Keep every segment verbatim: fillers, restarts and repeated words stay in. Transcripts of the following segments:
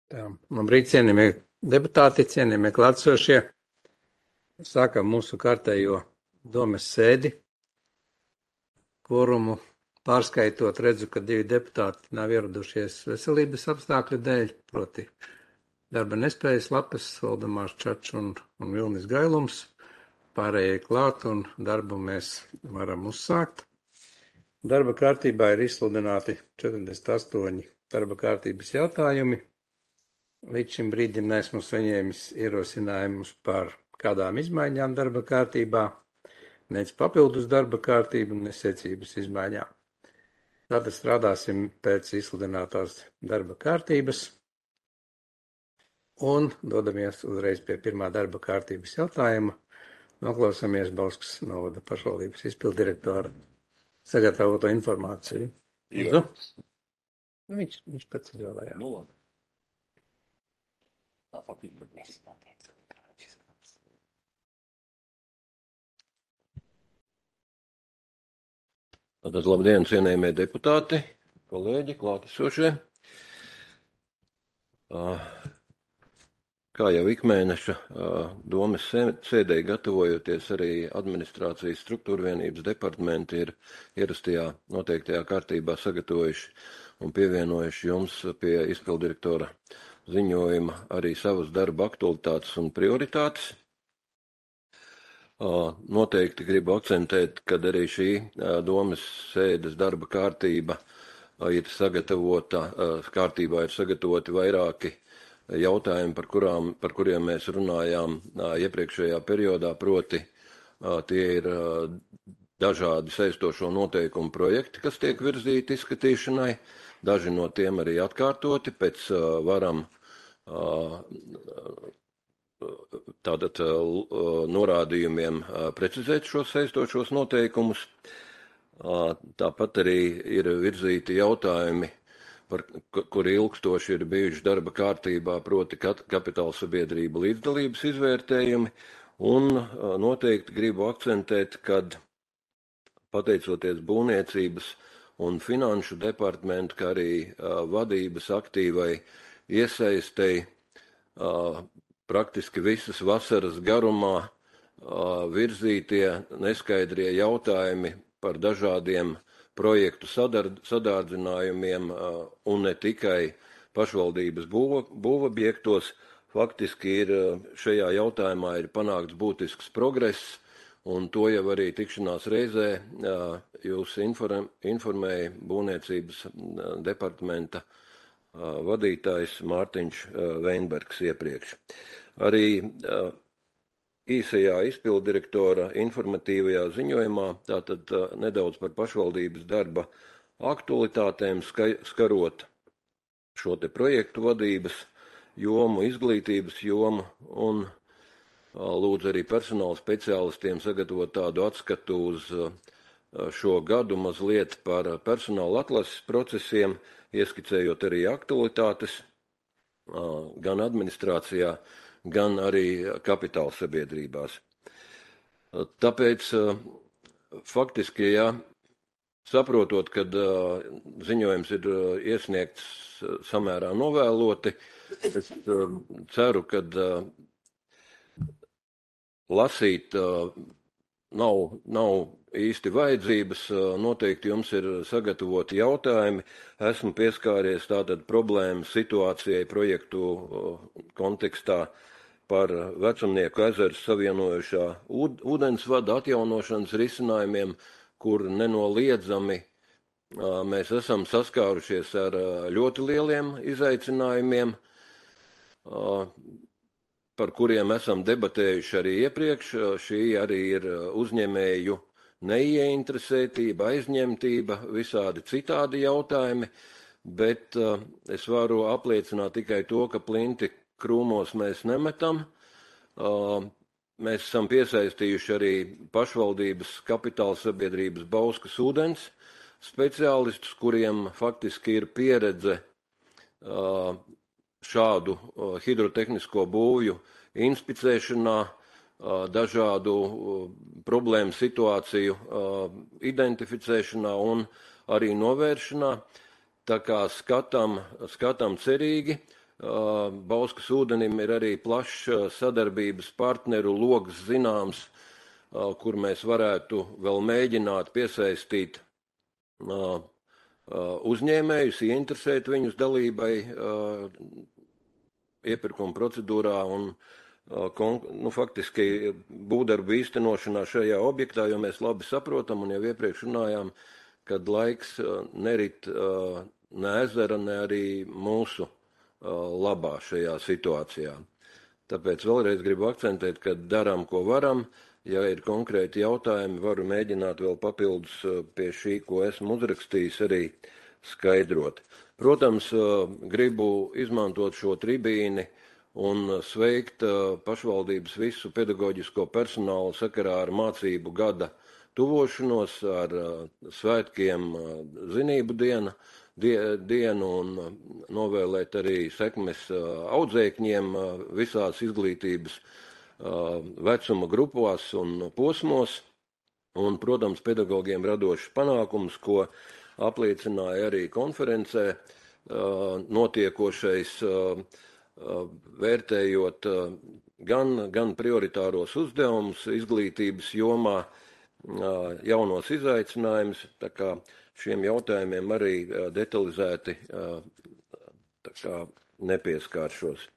Tā, labrīt, cienījamie deputāti, cienījamie klātsošie. Sākam mūsu kārtējo domes sēdi, kvorumu pārskaitot redzu, ka divi deputāti nav ieradušies veselības apstākļu dēļ, proti darba nespējas lapas, Valdemārs Čačs un, un Vilnis Gailums. Pārējie klāt un darbu mēs varam uzsākt. Darba kārtībā ir izsludināti četrdesmit astoņi darba kārtības jautājumi. Līdz šim brīdim neesmu saņēmis ierosinājumus par kādām izmaiņām darba kārtībā, nec papildus darba kārtību, nec secības izmaiņām. Tātad strādāsim pēc izsludinātās darba kārtības un dodamies uzreiz pie pirmā darba kārtības jautājuma. Noklausāmies Bauskas novada pašvaldības izpildirektora sagatavoto informāciju. Jā. Viņš, viņš pats izvēlējās. Nu, labi. Tā patīk, bet mēs Tātad labdien, cienējamie deputāti, kolēģi, klātesošie. Kā jau ikmēneša domes sēdē gatavojoties, arī administrācijas struktūra vienības departamenti ir ierastajā noteiktajā kārtībā sagatavojuši un pievienojuši jums pie izpildirektora ziņojuma arī savas darba aktualitātes un prioritātes. Noteikti gribu akcentēt, kad arī šī domes sēdes darba kārtība ir sagatavota, kārtībā ir sagatavoti vairāki jautājumi, par, kurām, par kuriem mēs runājām iepriekšējā periodā, proti tie ir dažādi saistošo noteikumu projekti, kas tiek virzīti izskatīšanai, daži no tiem arī atkārtoti, pēc varam tātad norādījumiem precizēt šos saistošos noteikumus. Tāpat arī ir virzīti jautājumi, par kuri ilgstoši ir bijuši darba kārtībā, proti kapitāla sabiedrība līdzdalības izvērtējumi, un noteikti gribu akcentēt, kad pateicoties būvniecības un finanšu departamentu, kā arī vadības aktīvai iesaistei, praktiski visas vasaras garumā virzītie neskaidrie jautājumi par dažādiem projektu sadārdzinājumiem un ne tikai pašvaldības būvobjektos. Faktiski ir šajā jautājumā ir panākts būtisks progress, un to jau arī tikšanās reizē jūs informēja būvniecības departamenta vadītājs Mārtiņš Veinbergs iepriekš. Arī īsajā izpildirektora informatīvajā ziņojumā, tātad nedaudz par pašvaldības darba aktualitātēm, skarot šo te projektu vadības jomu, izglītības jomu, un lūdzu arī personāla speciālistiem sagatavot tādu atskatu uz šo gadu mazliet par personāla atlases procesiem, ieskicējot arī aktualitātes gan administrācijā, gan arī kapitāla sabiedrībās. Tāpēc faktiski, ja saprotot, kad ziņojums ir iesniegts samērā novēloti, es ceru, kad lasīt nav, nav īsti vajadzības, noteikti jums ir sagatavoti jautājumi. Esmu pieskāries tātad problēmu situācijai projektu kontekstā par Vecumnieku ezeru savienojušā ūdensvada atjaunošanas risinājumiem, kur nenoliedzami mēs esam saskārušies ar ļoti lieliem izaicinājumiem, par kuriem esam debatējuši arī iepriekš. Šī arī ir uzņēmēju neieinteresētība, aizņemtība, visādi citādi jautājumi, bet uh, es varu apliecināt tikai to, ka plinti krūmos mēs nemetam. Uh, mēs esam piesaistījuši arī pašvaldības kapitāla sabiedrības Bauskas ūdens speciālistus, kuriem faktiski ir pieredze uh, šādu uh, hidrotehnisko būvju inspicēšanā, dažādu problēmu situāciju identificēšanā un arī novēršanā. Tā kā skatām, skatām cerīgi, Bauskas ūdenim ir arī plašs sadarbības partneru logs zināms, kur mēs varētu vēl mēģināt piesaistīt uzņēmējus, ieinteresēt viņus dalībai iepirkuma procedūrā un nu, faktiski būvdarbu īstenošanā šajā objektā, jo mēs labi saprotam un jau iepriekš runājām, kad laiks nerit ne ezera, ne arī mūsu labā šajā situācijā. Tāpēc vēlreiz gribu akcentēt, ka darām, ko varam. Ja ir konkrēti jautājumi, varu mēģināt vēl papildus pie šī, ko esmu uzrakstījis, arī skaidrot. Protams, gribu izmantot šo tribīni un sveikt pašvaldības visu pedagoģisko personālu sakarā ar mācību gada tuvošanos, ar svētkiem zinību diena, die, dienu un novēlēt arī sekmes audzēkņiem visās izglītības vecuma grupās un posmos. Un, protams, pedagogiem radošs panākums, ko apliecināja arī konferencē notiekošais, vērtējot gan, gan prioritāros uzdevumus izglītības jomā, jaunos izaicinājumus, tā kā šiem jautājumiem arī detalizēti tā kā nepieskāršos.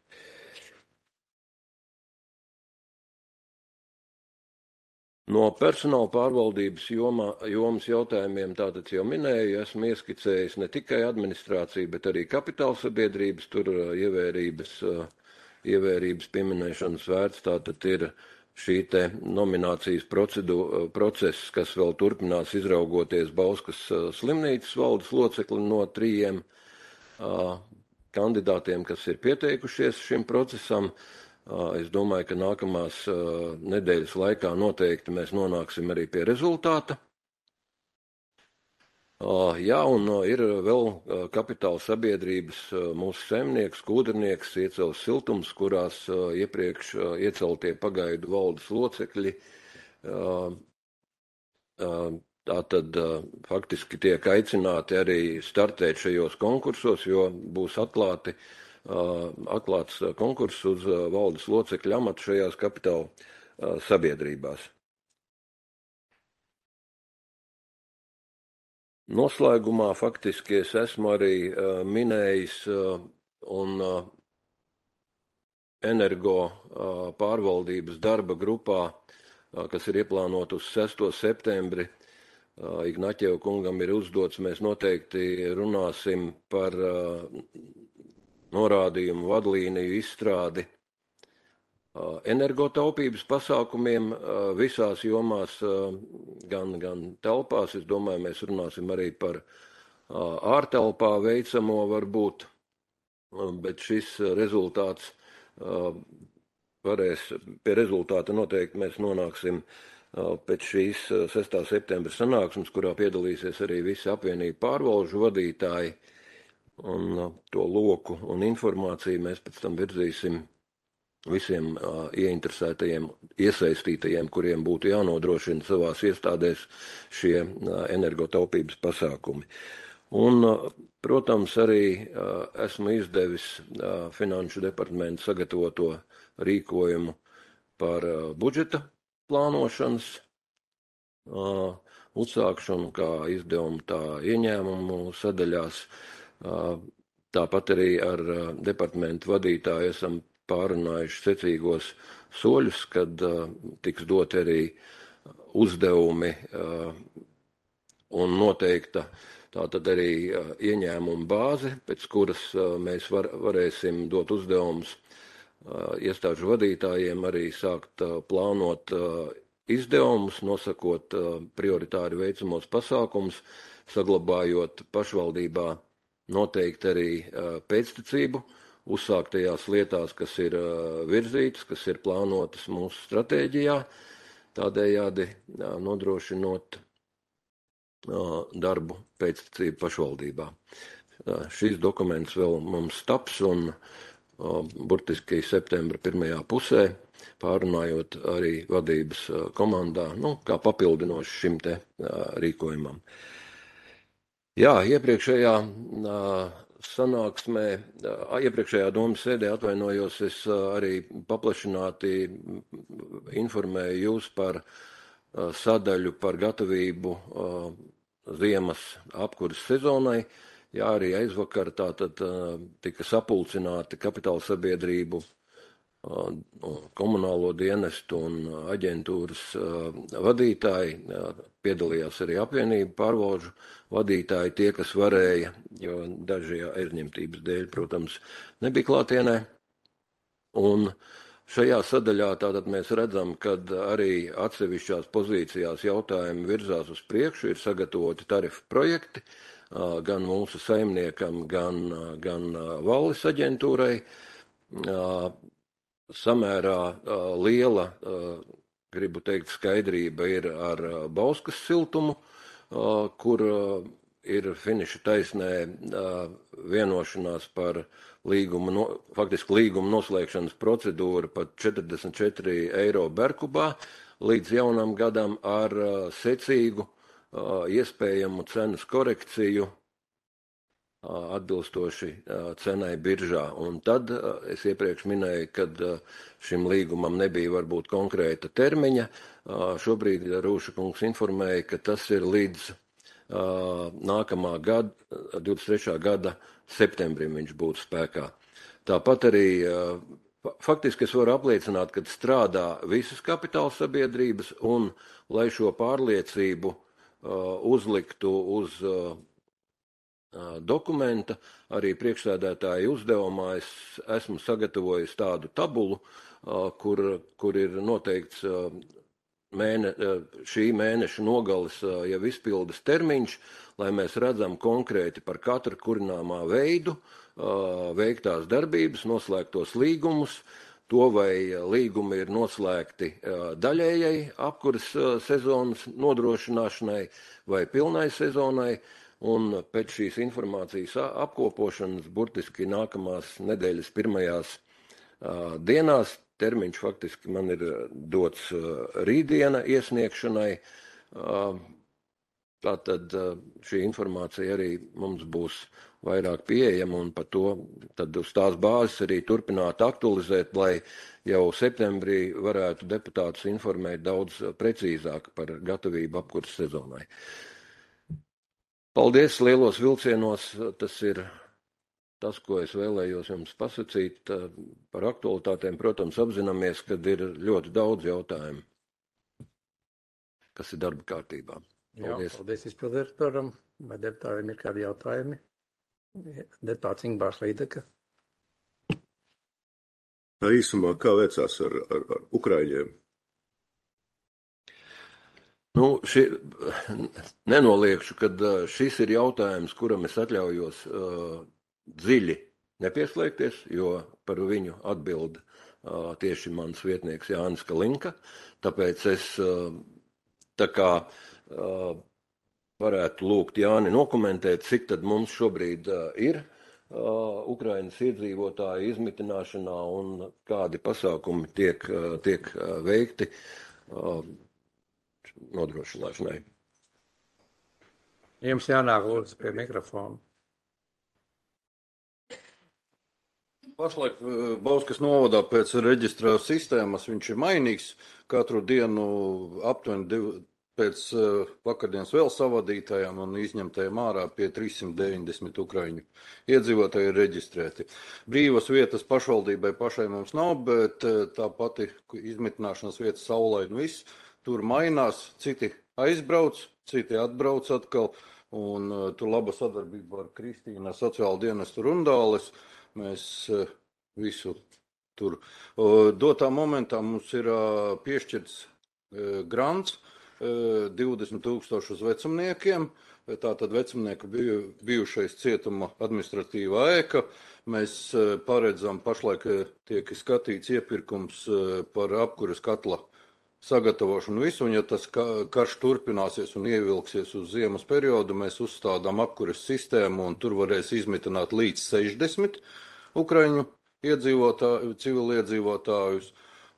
No personāla pārvaldības jomā, jomas jautājumiem tātad jau minēju, esmu ieskicējis ne tikai administrāciju, bet arī kapitāla sabiedrības, tur ievērības, ievērības pieminēšanas vērts, tātad ir šī te nominācijas process, kas vēl turpinās izraugoties Bauskas slimnīcas valdes locekli no trījiem kandidātiem, kas ir pieteikušies šim procesam. Es domāju, ka nākamās nedēļas laikā noteikti mēs nonāksim arī pie rezultāta. Jā, un ir vēl kapitāla sabiedrības mūsu saimnieks, kūdrnieks, iecels siltums, kurās iepriekš ieceltie pagaidu valdes locekļi. Tātad faktiski tiek aicināti arī startēt šajos konkursos, jo būs atklāti atklāts konkurss uz valdes locekļu amatu šajās kapitāla sabiedrībās. Noslēgumā faktiski es esmu arī minējis un energo pārvaldības darba grupā, kas ir ieplānota uz sesto septembri, Ignaķeva kungam ir uzdots, mēs noteikti runāsim par norādījumu vadlīniju izstrādi energotaupības pasākumiem visās jomās, gan, gan telpās. Es domāju, mēs runāsim arī par ārtelpā veicamo varbūt, bet šis rezultāts varēs, pie rezultāta noteikti mēs nonāksim pēc šīs sestā septembra sanāksmes, kurā piedalīsies arī visi apvienību pārvalžu vadītāji. Un to loku un informāciju mēs pēc tam virzīsim visiem uh, ieinteresētajiem, iesaistītajiem, kuriem būtu jānodrošina savās iestādēs šie uh, energotaupības pasākumi. Un, uh, protams, arī uh, esmu izdevis uh, Finanšu departamentu sagatavoto rīkojumu par uh, budžeta plānošanas uh, uzsākšanu, kā izdevumu, tā ieņēmumu sadaļās. Tāpat arī ar departamentu vadītāju esam pārunājuši secīgos soļus, kad tiks dot arī uzdevumi un noteikta tātad arī ieņēmuma bāze, pēc kuras mēs var, varēsim dot uzdevumus iestāžu vadītājiem arī sākt plānot izdevumus, nosakot prioritāri veicamos pasākumus, saglabājot pašvaldībā noteikti arī pēctecību uzsāktajās lietās, kas ir virzītas, kas ir plānotas mūsu stratēģijā, tādējādi nodrošinot darbu pēctecību pašvaldībā. Šīs dokuments vēl mums taps un burtiski septembra pirmajā pusē, pārunājot arī vadības komandā, nu, kā papildinoši šim te rīkojumam. Jā, iepriekšējā sanāksmē, iepriekšējā domas sēdē atvainojos, es arī paplašināti informēju jūs par sadaļu par gatavību ziemas apkuras sezonai. Jā, arī aizvakar tātad tika sapulcināti kapitāla sabiedrību, komunālo dienestu un aģentūras vadītāji, piedalījās arī apvienību pārvalžu vadītāji, tie, kas varēja, jo daži aizņemtības dēļ, protams, nebija klātienē. Un šajā sadaļā tātad mēs redzam, ka arī atsevišķās pozīcijās jautājumi virzās uz priekšu, ir sagatavoti tarifu projekti, gan mūsu saimniekam, gan, gan valdes aģentūrai. Samērā liela, gribu teikt, skaidrība ir ar Bauskas siltumu, kur ir finiša taisnē vienošanās par līguma, no, faktiski līguma noslēgšanas procedūru pat četrdesmit četri eiro berkubā līdz jaunam gadam ar secīgu iespējamu cenas korekciju atbilstoši cenai biržā. Un tad es iepriekš minēju, kad šim līgumam nebija varbūt konkrēta termiņa. Šobrīd Rūša kungs informēja, ka tas ir līdz nākamā gada, divdesmit trešā gada septembrim viņš būtu spēkā. Tāpat arī faktiski es varu apliecināt, ka strādā visas kapitāla sabiedrības un, lai šo pārliecību uzliktu uz dokumenta, arī priekšsēdētāja uzdevumā es esmu sagatavojis tādu tabulu, kur, kur ir noteikts mēne, šī mēneša nogales jau izpildes termiņš, lai mēs redzam konkrēti par katru kurināmā veidu, veiktās darbības, noslēgtos līgumus, to vai līgumi ir noslēgti daļējai apkuras sezonas nodrošināšanai vai pilnai sezonai. Un pēc šīs informācijas apkopošanas burtiski nākamās nedēļas pirmajās uh, dienās, termiņš faktiski man ir dots uh, rītdiena iesniegšanai, uh, tātad uh, šī informācija arī mums būs vairāk pieejama un par to tad uz tās bāzes arī turpināt aktualizēt, lai jau septembrī varētu deputātus informēt daudz precīzāk par gatavību apkuras sezonai. Paldies, lielos vilcienos, tas ir tas, ko es vēlējos jums pasakīt par aktualitātēm. Protams, apzināmies, ka ir ļoti daudz jautājumu, kas ir darba kārtībā. Paldies. Jā, paldies izpildirektoram. Vai deputātiem ir kādi jautājumi? Deputāts Ingbārs Līdeka. Īsumā, kā veicās ar, ar, ar Ukraiņiem? Nu, ši, nenoliekšu, ka šis ir jautājums, kuram es atļaujos uh, dziļi nepieslēgties, jo par viņu atbild uh, tieši mans vietnieks Jānis Kalinka. Tāpēc es uh, tā kā uh, varētu lūgt Jāni nokomentēt, cik tad mums šobrīd uh, ir uh, Ukrainas iedzīvotāju izmitināšanā un kādi pasākumi tiek, uh, tiek uh, veikti uh, nodrošināšanai. Jums jānāk lūdzu pie mikrofona. Pašlaik Bauskas novadā pēc reģistrā sistēmas viņš ir mainīgs. Katru dienu aptuveni div, pēc vakardienas vēl savadītājiem un izņemtajiem ārā pie trīssimt deviņdesmit ukraiņu iedzīvotāji ir reģistrēti. Brīvas vietas pašvaldībai pašai mums nav, bet tā pati izmitināšanas vietas saulē un viss. Tur mainās, citi aizbrauc, citi atbrauc atkal, un uh, tur laba sadarbība ar Kristīnu, sociālo dienestu Rundāles. Mēs uh, visu tur. Uh, dotā momentā mums ir uh, piešķirts uh, grants uh, divdesmit tūkstoši uz vecumniekiem. Tātad vecumnieka biju, bijušais cietuma administratīvā ēka. Mēs uh, paredzam, pašlaik tiek skatīts iepirkums uh, par apkuras katla sagatavošanu visu, un ja tas karš turpināsies un ievilksies uz ziemas periodu, mēs uzstādām apkuras sistēmu, un tur varēs izmitināt līdz sešdesmit ukraiņu iedzīvotāju, civiliedzīvotājus,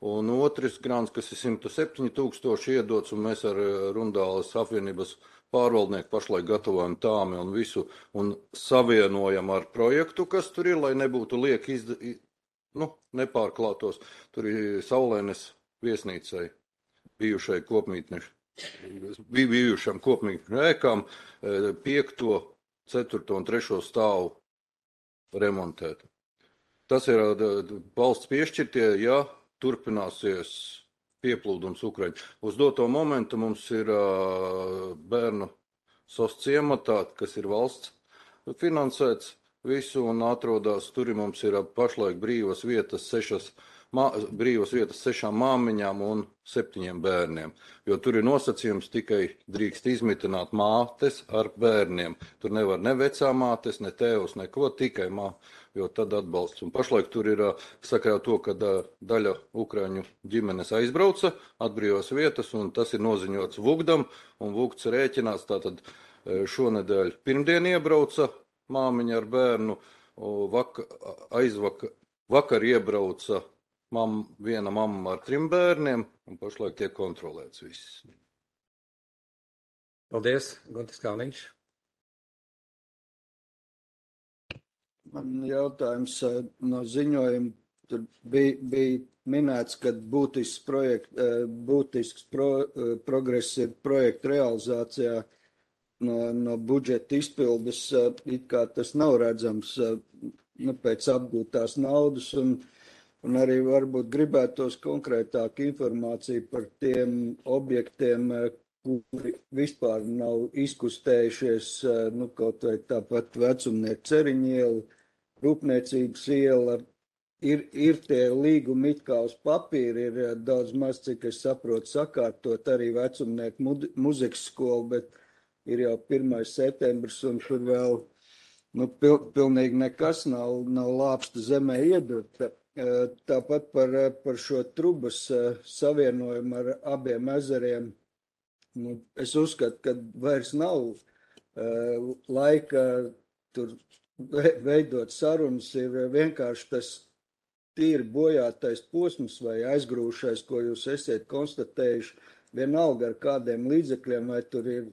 un otrs grants, kas ir simt septiņi tūkstoši iedots, un mēs ar Rundāles apvienības pārvaldnieki pašlaik gatavojam tāmi un visu un savienojam ar projektu, kas tur ir, lai nebūtu lieki izda, nu, nepārklātos. Tur ir Saulēnes viesnīcai, bijušai kopmītni, bijušam kopmītņu ēkām, piekto, ceturto un trešo stāvu remontēt. Tas ir valsts piešķirtie, ja turpināsies pieplūdums Ukraiņu. Uz doto momentu mums ir bērnu sos ciematā, kas ir valsts finansēts visu un atrodas. Tur mums ir pašlaik brīvas vietas sešas, mā, brīvas vietas sešām māmiņām un septiņiem bērniem. Jo tur ir nosacījums tikai drīkst izmitināt mātes ar bērniem. Tur nevar ne vecā mātes, ne tēvs, neko, tikai mā, jo tad atbalsts. Un pašlaik tur ir sakarā to, ka daļa Ukraiņu ģimenes aizbrauca, atbrīvās vietas, un tas ir noziņots Vugdam, un Vugds rēķinās tātad šonedēļ pirmdien iebrauca māmiņa ar bērnu, vaka, aizvakar, vakar iebrauca mam, viena mamma ar trim bērniem, un pašlaik tiek kontrolēts viss. Paldies, Guntis Kalniņš. Man jautājums no ziņojuma, tur bija, bija minēts, ka būtisks, projekt, būtisks pro, progress ir projekta realizācijā no, no budžeta izpildes, it kā tas nav redzams nu, pēc apgūtās naudas, un, un arī varbūt gribētos konkrētāku informāciju par tiem objektiem, kuri vispār nav izkustējušies, nu, kaut vai tāpat Vecumnieku Ceriņu iela, Rūpniecības iela, ir, ir tie līgumi it kā uz papīra, ir daudz maz, cik es saprotu, sakārtot arī Vecumnieku muzikas skolu, bet ir jau pirmais septembris un tur vēl nu, pil, pilnīgi nekas nav, nav lāpsta zemē iedurta. Tāpat par, par šo trubas savienojumu ar abiem ezeriem. Nu, es uzskatu, ka vairs nav uh, laika tur veidot sarunas, ir vienkārši tas tīri bojātais posms vai aizgrūšais, ko jūs esiet konstatējuši, vienalga ar kādiem līdzekļiem, vai tur ir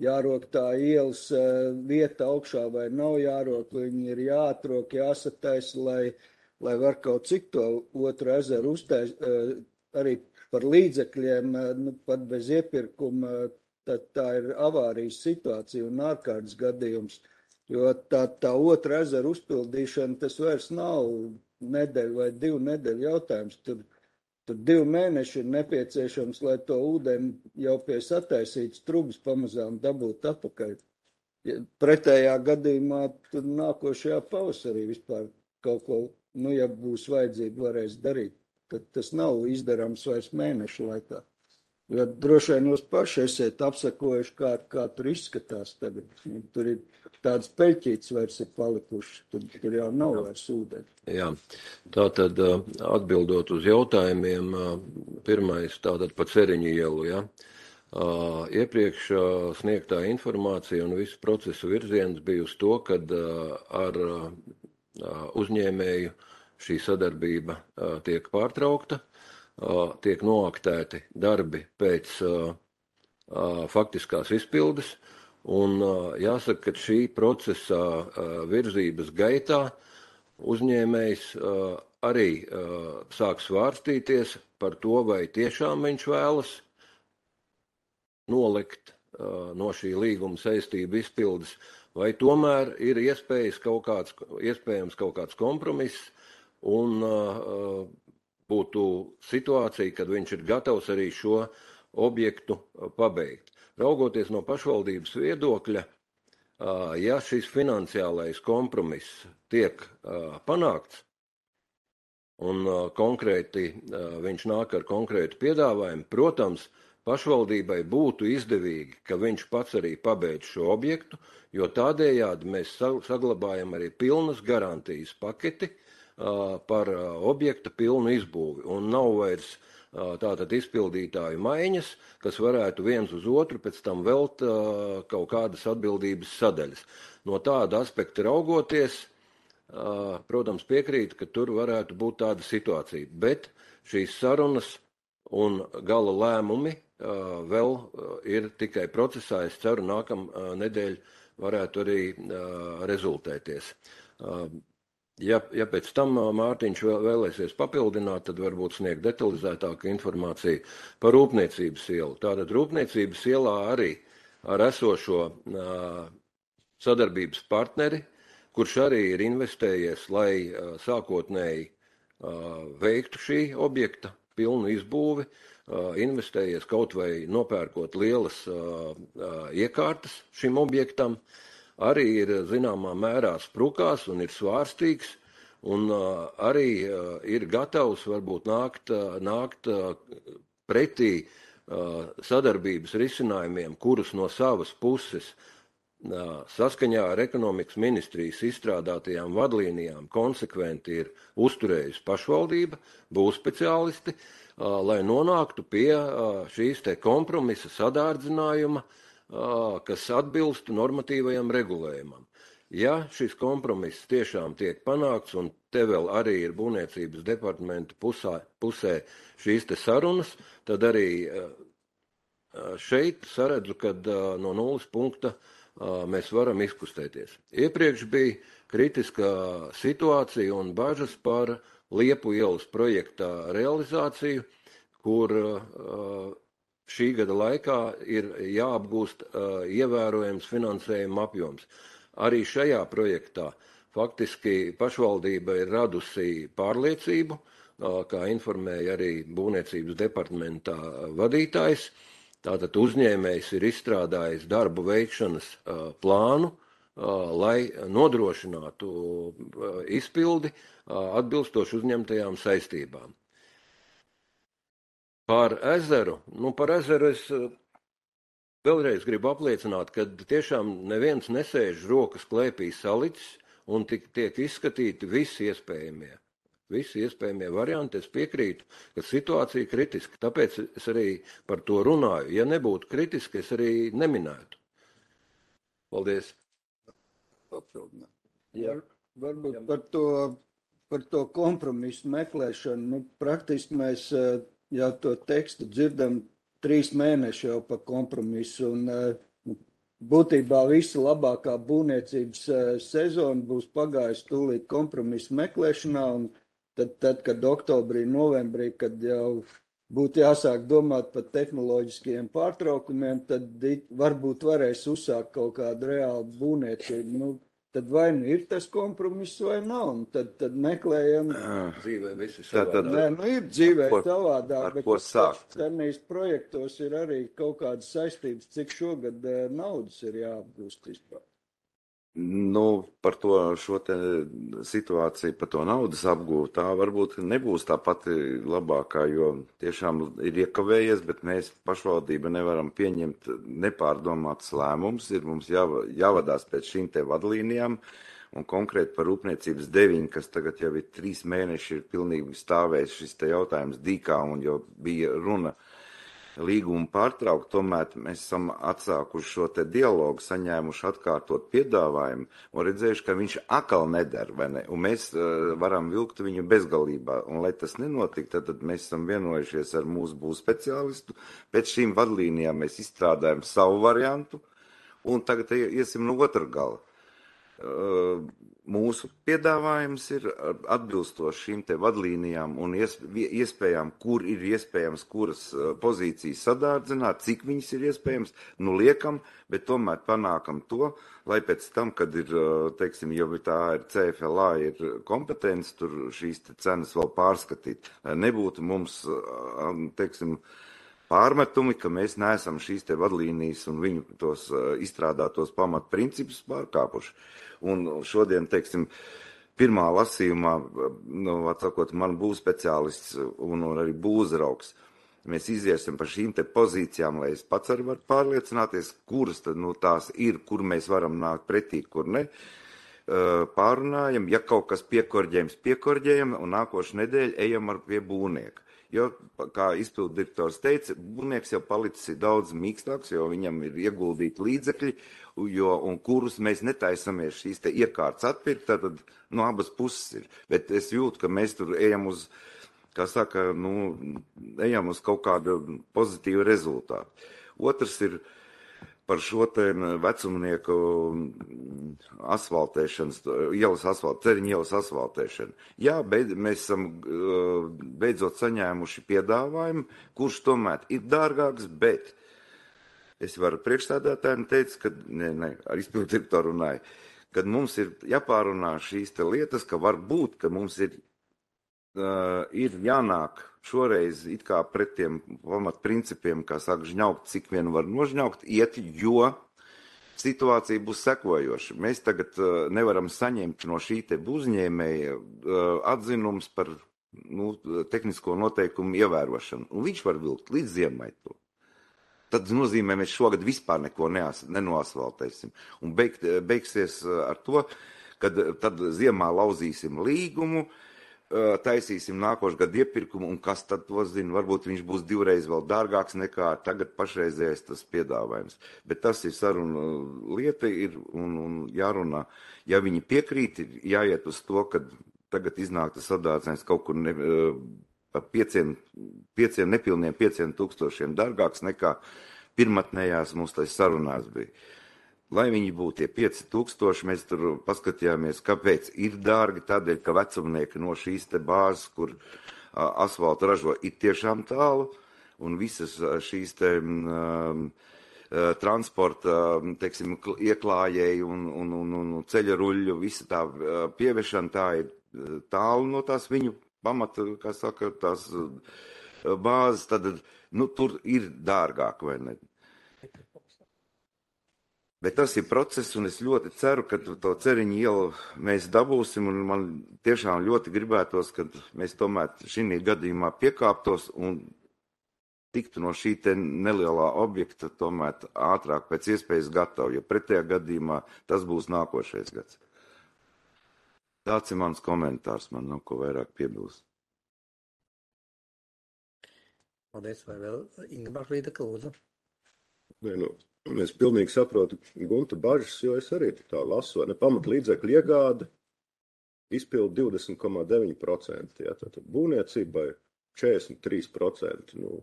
jārok tā ielas uh, vieta augšā vai nav jārok, viņi ir jāatrok, jāsataisa, lai, lai var kaut cik to otru ezeru uztais, uh, arī par līdzekļiem, nu, pat bez iepirkuma, tad tā ir avārijas situācija un ārkārtas gadījums, jo tā, tā otra ezera uzpildīšana, tas vairs nav nedēļu vai divu nedēļu jautājums. Tur, tur divi mēneši ir nepieciešams, lai to ūdeni jau pie sataisītas trubas pamazām dabūt atpakaļ. Ja pretējā gadījumā tur nākošajā pavasarī vispār kaut ko, nu, ja būs vajadzība, varēs darīt. Tad tas nav izdarāms vairs mēnešu laikā. Jo droši vien jūs paši esiet apsakojuši, kā, kā tur izskatās tagad. Tur ir tāds peļķīts vairs ir palikuši, tur, tur jau nav vairs ūdeni. Jā, tātad atbildot uz jautājumiem, pirmais tātad pa Ceriņu ielu, ja. Iepriekš sniegtā informācija un visu procesu virziens bija uz to, kad ar uzņēmēju šī sadarbība tiek pārtraukta, tiek noaktēti darbi pēc faktiskās izpildes, un jāsaka, ka šī procesa virzības gaitā uzņēmējs arī sāk svārstīties par to, vai tiešām viņš vēlas nolikt no šī līguma saistību izpildes, vai tomēr ir iespējas kaut kāds, iespējams kaut kāds kompromiss, un uh, būtu situācija, kad viņš ir gatavs arī šo objektu pabeigt. Raugoties no pašvaldības viedokļa, uh, ja šis finansiālais kompromiss tiek uh, panākts, un uh, konkrēti uh, viņš nāk ar konkrētu piedāvājumu, protams, pašvaldībai būtu izdevīgi, ka viņš pats arī pabeidz šo objektu, jo tādējādi mēs saglabājam arī pilnas garantijas paketi uh, par uh, objekta pilnu izbūvi. Un nav vairs uh, tātad izpildītāju maiņas, kas varētu viens uz otru pēc tam velt uh, kaut kādas atbildības sadaļas. No tāda aspekta raugoties, uh, protams, piekrīt, ka tur varētu būt tāda situācija, bet šīs sarunas un gala lēmumi vēl ir tikai procesā. Es ceru, nākam nedēļ varētu arī rezultēties. Ja, ja pēc tam Mārtiņš vēl, vēlēsies papildināt, tad varbūt sniegt detalizētāku informāciju par Rūpniecības ielu. Tātad Rūpniecības ielā arī ar esošo sadarbības partneri, kurš arī ir investējies, lai sākotnēji veiktu šī objekta pilnu izbūvi, investējies kaut vai nopērkot lielas iekārtas šim objektam, arī ir zināmā mērā sprukās un ir svārstīgs, un arī ir gatavs varbūt nākt, nākt pretī sadarbības risinājumiem, kurus no savas puses saskaņā ar ekonomikas ministrijas izstrādātajām vadlīnijām konsekventi ir uzturējusi pašvaldība, būs speciālisti, lai nonāktu pie šīs te kompromisa sadārdzinājuma, kas atbilstu normatīvajam regulējumam. Ja šis kompromiss tiešām tiek panākts, un te vēl arī ir būvniecības departamenta pusā, pusē šīs te sarunas, tad arī šeit saredzu, kad no nulles punkta mēs varam izkustēties. Iepriekš bija kritiska situācija un bažas par Liepu ielas projektā realizāciju, kur šī gada laikā ir jāapgūst ievērojams finansējuma apjoms. Arī šajā projektā faktiski pašvaldība ir radusi pārliecību, kā informēja arī būvniecības departamentā vadītājs. Tātad uzņēmējs ir izstrādājis darbu veikšanas plānu, lai nodrošinātu izpildi atbilstoši uzņemtajām saistībām. Par ezeru, nu par ezeru es vēlreiz gribu apliecināt, ka tiešām neviens nesēž rokas klēpī salicis un tik, tiek izskatīti visi iespējamie. Visi iespējamie varianti, es piekrītu, ka situācija ir kritiska, tāpēc es arī par to runāju. Ja nebūtu kritiski, es arī neminētu. Paldies. Jā. Varbūt par to, par to kompromisu meklēšanu. Nu, praktiski mēs jau to tekstu dzirdam trīs mēneši jau par kompromisu. Un, būtībā visa labākā būvniecības sezona būs pagājusi tūlīt kompromisu meklēšanā. Un Tad, tad, kad oktobrī, novembrī, kad jau būtu jāsāk domāt par tehnoloģiskiem pārtraukumiem, tad varbūt varēs uzsākt kaut kādu reālu būvniecību. Nu, tad vai nu ir tas kompromiss vai nav, un tad, tad meklējam. Dzīvē visi savādāk. Nē, nu ir dzīvē savādāk, bet senīs projektos ir arī kaut kādas saistības, cik šogad naudas ir jāapgūst vispār. Nu, par to šo te situāciju, par to naudas apgūvu, tā varbūt nebūs tā pati labākā, jo tiešām ir iekavējies, bet mēs pašvaldība nevaram pieņemt nepārdomātas lēmumus, ir mums jā, jāvadās pēc šīm te vadlīnijām, un konkrēti par Rūpniecības deviņi, kas tagad jau ir trīs mēneši, ir pilnīgi stāvējis šis te jautājums dīkā, un jau bija runa līgumu pārtraukt, tomēr mēs esam atsākuši šo te dialogu, saņēmuši atkārtot piedāvājumu un redzējuši, ka viņš atkal nedara, vai ne? Un mēs uh, varam vilkt viņu bezgalībā. Un, lai tas nenotika, tad, tad mēs esam vienojušies ar mūsu būvspeciālistu. Pēc šīm vadlīnijām mēs izstrādājam savu variantu un tagad iesim no otra gala. Uh, mūsu piedāvājums ir atbilstoši šīm te vadlīnijām un iespējām, kur ir iespējams, kuras pozīcijas sadārdzināt, cik viņas ir iespējams, nu liekam, bet tomēr panākam to, lai pēc tam, kad ir, teiksim, jau tā ir C F L A, ir kompetence, tur šīs te cenas vēl pārskatīt. Nebūtu mums, teiksim, pārmetumi, ka mēs neesam šīs te vadlīnijas un viņu tos izstrādātos pamatprincipus pārkāpuši. Un šodien, teiksim, pirmā lasījumā, nu, atsakot, man būs speciālists un, un arī būzraugs. Mēs iziesim par šīm te pozīcijām, lai es pats arī varu pārliecināties, kuras tad, nu, tās ir, kur mēs varam nākt pretī, kur ne. Pārunājam, ja kaut kas piekorģējams, piekorģējam, un nākošu nedēļu ejam ar pie būvnieka. Jo, kā izpildu direktors teica, būvnieks jau palicis daudz mīkstāks, jo viņam ir ieguldīti līdzekļi, jo, un kurus mēs netaisamies šīs te iekārtas atpirkt, tad no abas puses ir. Bet es jūtu, ka mēs tur ejam uz kā saka, nu, ejam uz kaut kādu pozitīvu rezultātu. Otrs ir par šo te vecumnieku asfaltēšanas, ielas asfalt, ceriņu ielas asfaltēšanu. Jā, beid, mēs esam beidzot saņēmuši piedāvājumu, kurš tomēr ir dārgāks, bet es varu priekšstādātājiem teikt, ka, ne, ne, ar izpildu direktoru runāju, kad mums ir jāpārunā šīs te lietas, ka var būt, ka mums ir, uh, ir jānāk šoreiz it kā pret tiem pamatprincipiem, kā saka, žņaukt, cik vien var nožņaukt, iet, jo situācija būs sekojoša. Mēs tagad uh, nevaram saņemt no šī te uzņēmēja uh, atzinums par nu, tehnisko noteikumu ievērošanu. Un viņš var vilkt līdz ziemai to. Tad nozīmē, mēs šogad vispār neko neas, nenoasfaltēsim. Un beig, beigsies ar to, kad tad ziemā lauzīsim līgumu, taisīsim nākošu gadu iepirkumu, un kas tad to zina, varbūt viņš būs divreiz vēl dārgāks nekā tagad pašreizējais tas piedāvājums. Bet tas ir saruna lieta ir un, un jārunā. Ja viņi piekrīt, ir jāiet uz to, kad tagad iznāk tas sadārdzējums kaut kur ne, par pieciem, pieciem nepilniem pieciem tūkstošiem dārgāks nekā pirmatnējās mums tais sarunās bija. Lai viņi būtu tie pieci tūkstoši, mēs tur paskatījāmies, kāpēc ir dārgi, tādēļ, ka vecumnieki no šīs te bāzes, kur a, asfaltu ražo, ir tiešām tālu, un visas šīs te um, transporta, teiksim, ieklājēji un, un, un, un ceļa ruļļu, visa tā pieviešana, tā ir tālu no tās viņu pamata, kā saka, tās bāzes, tad, nu, tur ir dārgāk, vai ne? Bet tas ir process, un es ļoti ceru, ka to ceriņu ielu mēs dabūsim, un man tiešām ļoti gribētos, ka mēs tomēr šī gadījumā piekāptos un tiktu no šī te nelielā objekta tomēr ātrāk pēc iespējas gatavi, jo pretējā gadījumā tas būs nākošais gads. Tāds ir mans komentārs, man nav ko vairāk piebilst. Paldies, vai vēl Inga Līdaka, lūdzu? Nē, nu, es pilnīgi saprotu Gunta bažas, jo es arī tā lasu, vai ne, pamatlīdzekļu iegāde izpildu divdesmit komats deviņi procenti, ja, tātad būvniecībai četrdesmit trīs procenti, nu,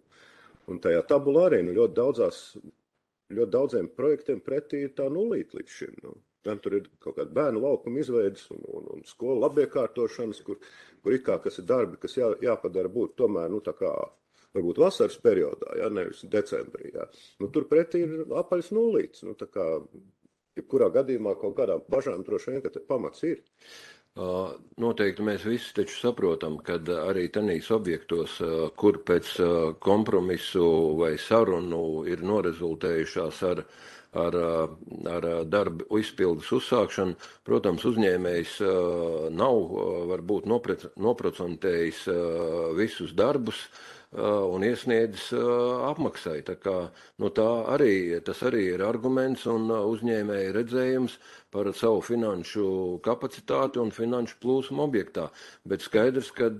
un tajā tabulā arī, nu, ļoti daudzās, ļoti daudziem projektiem pretī ir tā nulīt līdz šim, nu, gan tur ir kaut kāda bērnu laukuma izveidas un, un, un skolu labiekārtošanas, kur, kur it kā, kas ir darbi, kas jā, jāpadara būt tomēr, nu, tā kā, varbūt vasaras periodā, ja, nevis decembrī, ja. Nu, tur pretī ir apaļs nulīts, nu, tā kā, jebkurā gadījumā kaut kādām bažām droši vien, ka te pamats ir. Uh, noteikti mēs visi taču saprotam, ka arī tanīs objektos, uh, kur pēc uh, kompromisu vai sarunu ir norezultējušās ar, ar, ar darbu izpildes uzsākšanu, protams, uzņēmējs uh, nav uh, varbūt nopre, noprocentējis uh, visus darbus, un iesniedzis apmaksai. Tā kā, nu tā arī, tas arī ir arguments un uzņēmēja redzējums par savu finanšu kapacitāti un finanšu plūsmu objektā. Bet skaidrs, ka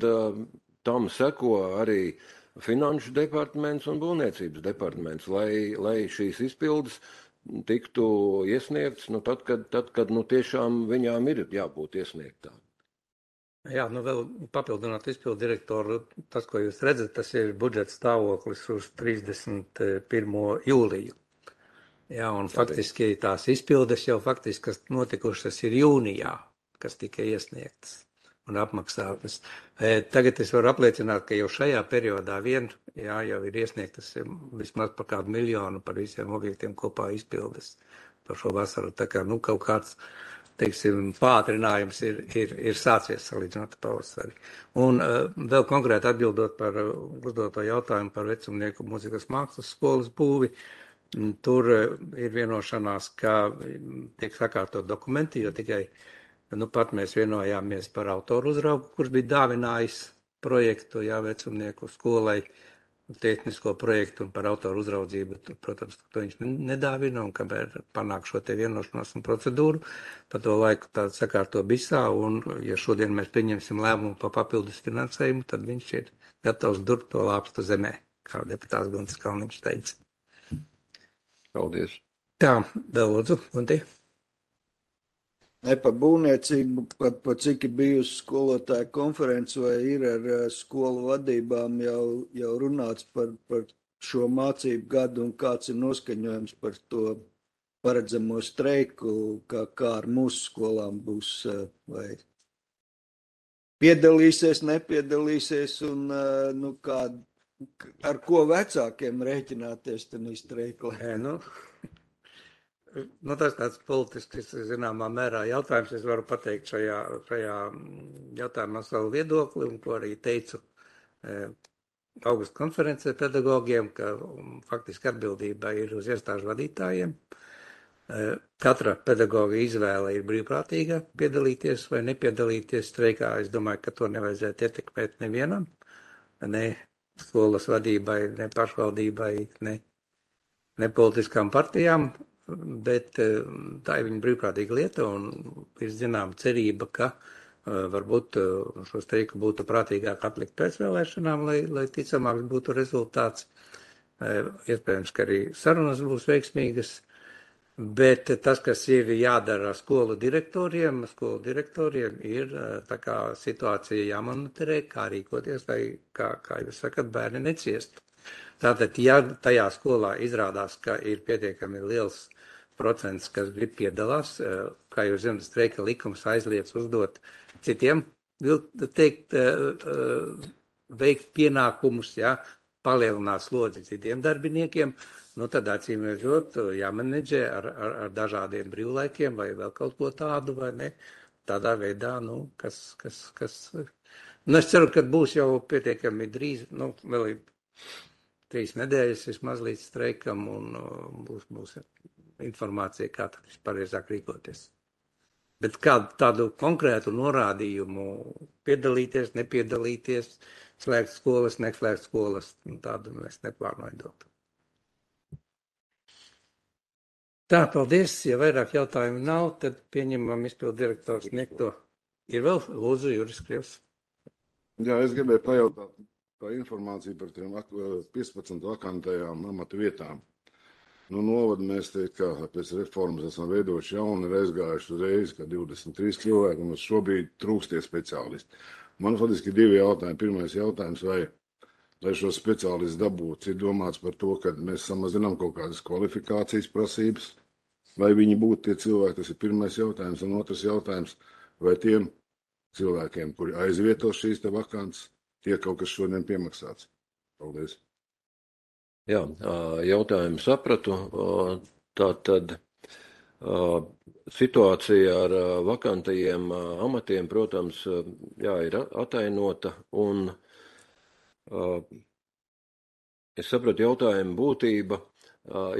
tam seko arī finanšu departaments un būvniecības departaments, lai, lai šīs izpildes tiktu iesniegts, nu tad, kad, tad, kad nu tiešām viņām ir jābūt iesniegtām. Jā, nu vēl papildināt izpildu direktoru, tas, ko jūs redzat, tas ir budžeta stāvoklis uz trīsdesmit pirmo jūliju. Jā, un faktiski tās izpildes jau faktiski, kas notikušas ir jūnijā, kas tika iesniegtas un apmaksātas. Tagad es varu apliecināt, ka jau šajā periodā vien, jā, jau ir iesniegtas vismaz par kādu miljonu par visiem objektiem kopā izpildes par šo vasaru. Tā kā, nu, kaut kāds teiksim, pātrinājums ir, ir, ir sācies salīdzinot pavasari. Un uh, vēl konkrēti atbildot par uh, uzdoto jautājumu par vecumnieku mūzikas mākslas skolas būvi, tur uh, ir vienošanās, ka tiek sakārtot dokumenti, jo tikai nu, pat mēs vienojāmies par autoru uzraugu, kurš bija dāvinājis projektu, jā, vecumnieku skolai, tehnisko projektu un par autoru uzraudzību, protams, to viņš nedāvina, un kamēr panāk šo te vienošanos un procedūru, pa to laiku tādu sakārto bisā, un ja šodien mēs pieņemsim lēmumu pa papildus finansējumu, tad viņš ir gatavs durbt to lāpstu zemē, kā deputāts Guntis Kalniņš teica. Paldies. Tā, vēl lūdzu, Gunti. Ne par būvniecību, pat pa cik ir bijusi skolotāja konference vai ir ar skolu vadībām jau, jau runāts par, par šo mācību gadu un kāds ir noskaņojums par to paredzamo streiku, kā, kā ar mūsu skolām būs, vai piedalīsies, nepiedalīsies un, nu, kā, ar ko vecākiem rēķināties tenī streiklē. Nē, nu, nu, tas tāds politisks, zināmā mērā jautājums. Es varu pateikt šajā, šajā jautājumā savu viedokli, un ko arī teicu e, augusta konferencē pedagogiem, ka um, faktiski atbildība ir uz iestāžu vadītājiem. E, katra pedagoga izvēle ir brīvprātīga piedalīties vai nepiedalīties streikā. Es domāju, ka to nevajadzētu ietekmēt nevienam, ne skolas vadībai, ne pašvaldībai, ne, ne politiskām partijām. Bet tā ir viņa brīvprātīga lieta un ir zināma cerība, ka uh, varbūt uh, šo streiku būtu prātīgāk atlikt pēc vēlēšanām, lai, lai ticamāks būtu rezultāts. Uh, iespējams, ka arī sarunas būs veiksmīgas, bet tas, kas ir jādara skolu direktoriem, skolu direktoriem ir uh, tā kā situācija jāmonitorē, kā rīkoties, lai, kā, kā jūs sakat, bērni neciestu. Tātad, ja tajā skolā izrādās, ka ir pietiekami liels procents, kas grib piedalās, kā jūs zināt, streika likums aizliedz uzdot citiem, teikt, veikt pienākumus, ja, palielināt slodzi citiem darbiniekiem, nu tad acīm redzot, jāmenedžē ar, ar, ar dažādiem brīvlaikiem vai vēl kaut ko tādu, vai ne, tādā veidā, nu, kas, kas, kas, nu, es ceru, ka būs jau pietiekami drīz, nu, vēl ir trīs nedēļas vismaz līdz streikam un būs, būs informācija, kā tad pareizāk rīkoties. Bet kādu tādu konkrētu norādījumu piedalīties, nepiedalīties, slēgt skolas, neslēgt skolas, tādu mēs neplānojam dot. Tā, paldies. Ja vairāk jautājumu nav, tad pieņemam izpildu direktors sniegto. Ir vēl lūdzu Juris Krievs. Jā, es gribēju pajautāt par informāciju par tiem piecpadsmit vakantajām amata vietām. Nu, novadu mēs teikt, ka pēc reformas esam veidojuši jaunu, ir aizgājuši uzreiz, ka divdesmit trīs cilvēki, un šobrīd trūkstie speciālisti. Man faktiski divi jautājumi. Pirmais jautājums, vai, lai šo speciālistu dabūtu, ir domāts par to, ka mēs samazinām kaut kādas kvalifikācijas prasības, vai viņi būtu tie cilvēki, tas ir pirmais jautājums, un otrs jautājums, vai tiem cilvēkiem, kuri aizvieto šīs te vakants, tie kaut kas šodien piemaksāts. Paldies. Jā, jautājumu sapratu. Tā tad situācija ar vakantajiem amatiem, protams, jā, ir atainota, un es sapratu jautājumu būtība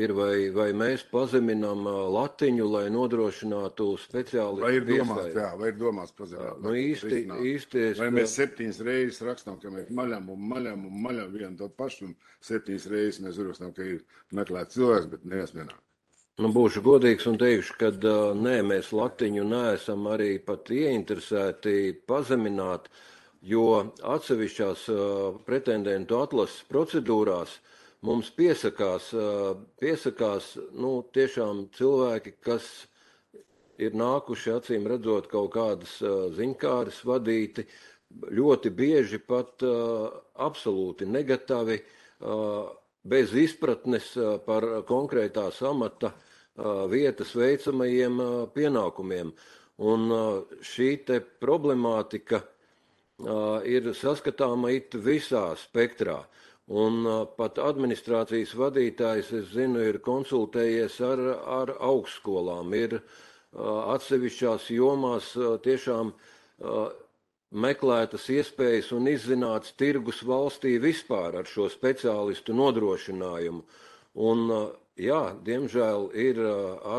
ir, vai, vai mēs pazeminām latiņu, lai nodrošinātu speciālistu. Vai ir domāts, jā, vai ir domāts pazemināt. Nu, īsti, īsti es... Vai mēs septiņas reizes rakstām, ka mēs maļam un maļam un maļam vienu to pašu, un septiņas reizes mēs uzrakstām, ka ir meklēt cilvēks, bet neviens nenāk. Nu, būšu godīgs un teikšu, ka nē, mēs latiņu neesam arī pat ieinteresēti pazemināt, jo atsevišķās pretendentu atlases procedūrās mums piesakās, piesakās nu, tiešām cilvēki, kas ir nākuši acīm redzot kaut kādas ziņkāres vadīti, ļoti bieži pat absolūti negatavi, bez izpratnes par konkrētās amata vietas veicamajiem pienākumiem. Un šī te problemātika ir saskatāma it visā spektrā. Un pat administrācijas vadītājs, es zinu, ir konsultējies ar, ar augstskolām, ir atsevišķās jomās tiešām meklētas iespējas un izzināts tirgus valstī vispār ar šo speciālistu nodrošinājumu. Un, jā, diemžēl ir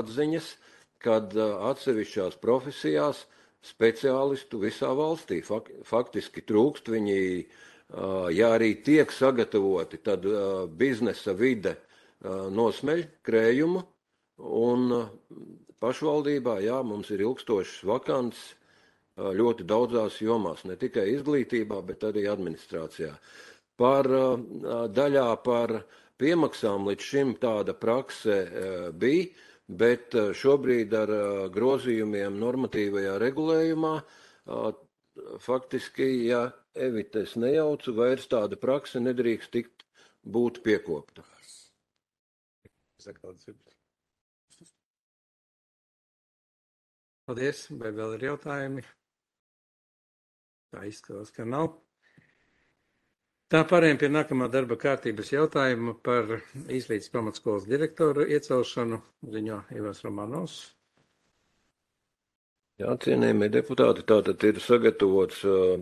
atziņas, kad atsevišķās profesijās speciālistu visā valstī faktiski trūkst. Viņi, ja arī tiek sagatavoti, tad biznesa vide nosmeļ krējumu, un pašvaldībā, jā, mums ir ilgstošs vakants ļoti daudzās jomās, ne tikai izglītībā, bet arī administrācijā. Par daļā par piemaksām līdz šim tāda prakse bija, bet šobrīd ar grozījumiem normatīvajā regulējumā faktiski, ja evites nejaucu, vairs tāda prakse nedrīkst tikt būt piekopta. Paldies, vai vēl ir jautājumi? Tā izskatās, ka nav. Tā pārējiem pie nākamā darba kārtības jautājuma par Izlītes pamatskolas direktoru iecelšanu, ziņo Ivars Romanovs. Jā, cienījamie deputāti, tātad ir sagatavots uh,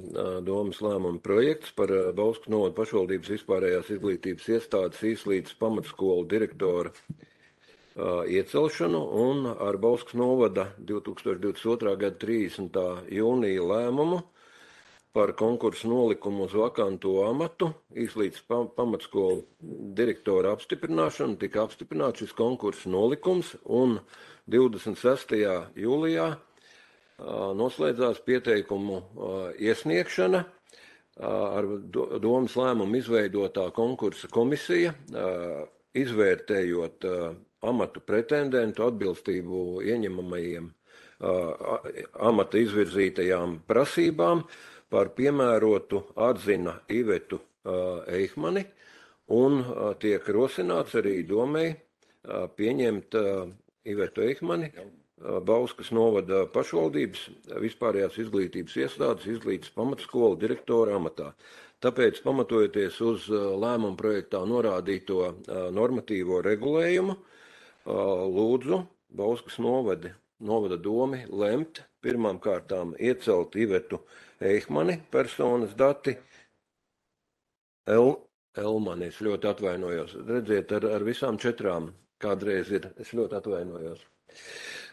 domas lēmuma projekts par uh, Bauskas novada pašvaldības vispārējās izglītības iestādes Izlītes pamatskolu direktora uh, iecelšanu, un ar Bauskas novada divs tūkstoši divdesmit otrā gada trīsdesmitā jūnija lēmumu par konkursu nolikumu uz vakanto amatu Izlītes pamatskolu direktora apstiprināšanu tika apstiprināts šis konkursu nolikums, un divdesmit sestajā jūlijā noslēdzās pieteikumu iesniegšana ar domas lēmumu izveidotā konkursa komisija, izvērtējot amatu pretendentu atbilstību ieņemamajiem amata izvirzītajām prasībām, par piemērotu atzina Ivetu Eihmani, un tiek rosināts arī domei pieņemt Ivetu Eihmani Bauskas novada pašvaldības vispārējās izglītības iestādes Izlītes pamatskolu direktora amatā. Tāpēc, pamatojoties uz lēmumu projektā norādīto normatīvo regulējumu, lūdzu Bauskas novada, novada domi lemt pirmām kārtām iecelt Ivetu Eihmani personas dati. El, Elmani, es ļoti atvainojos. Redziet, ar, ar visām četrām kādreiz ir, es ļoti atvainojos.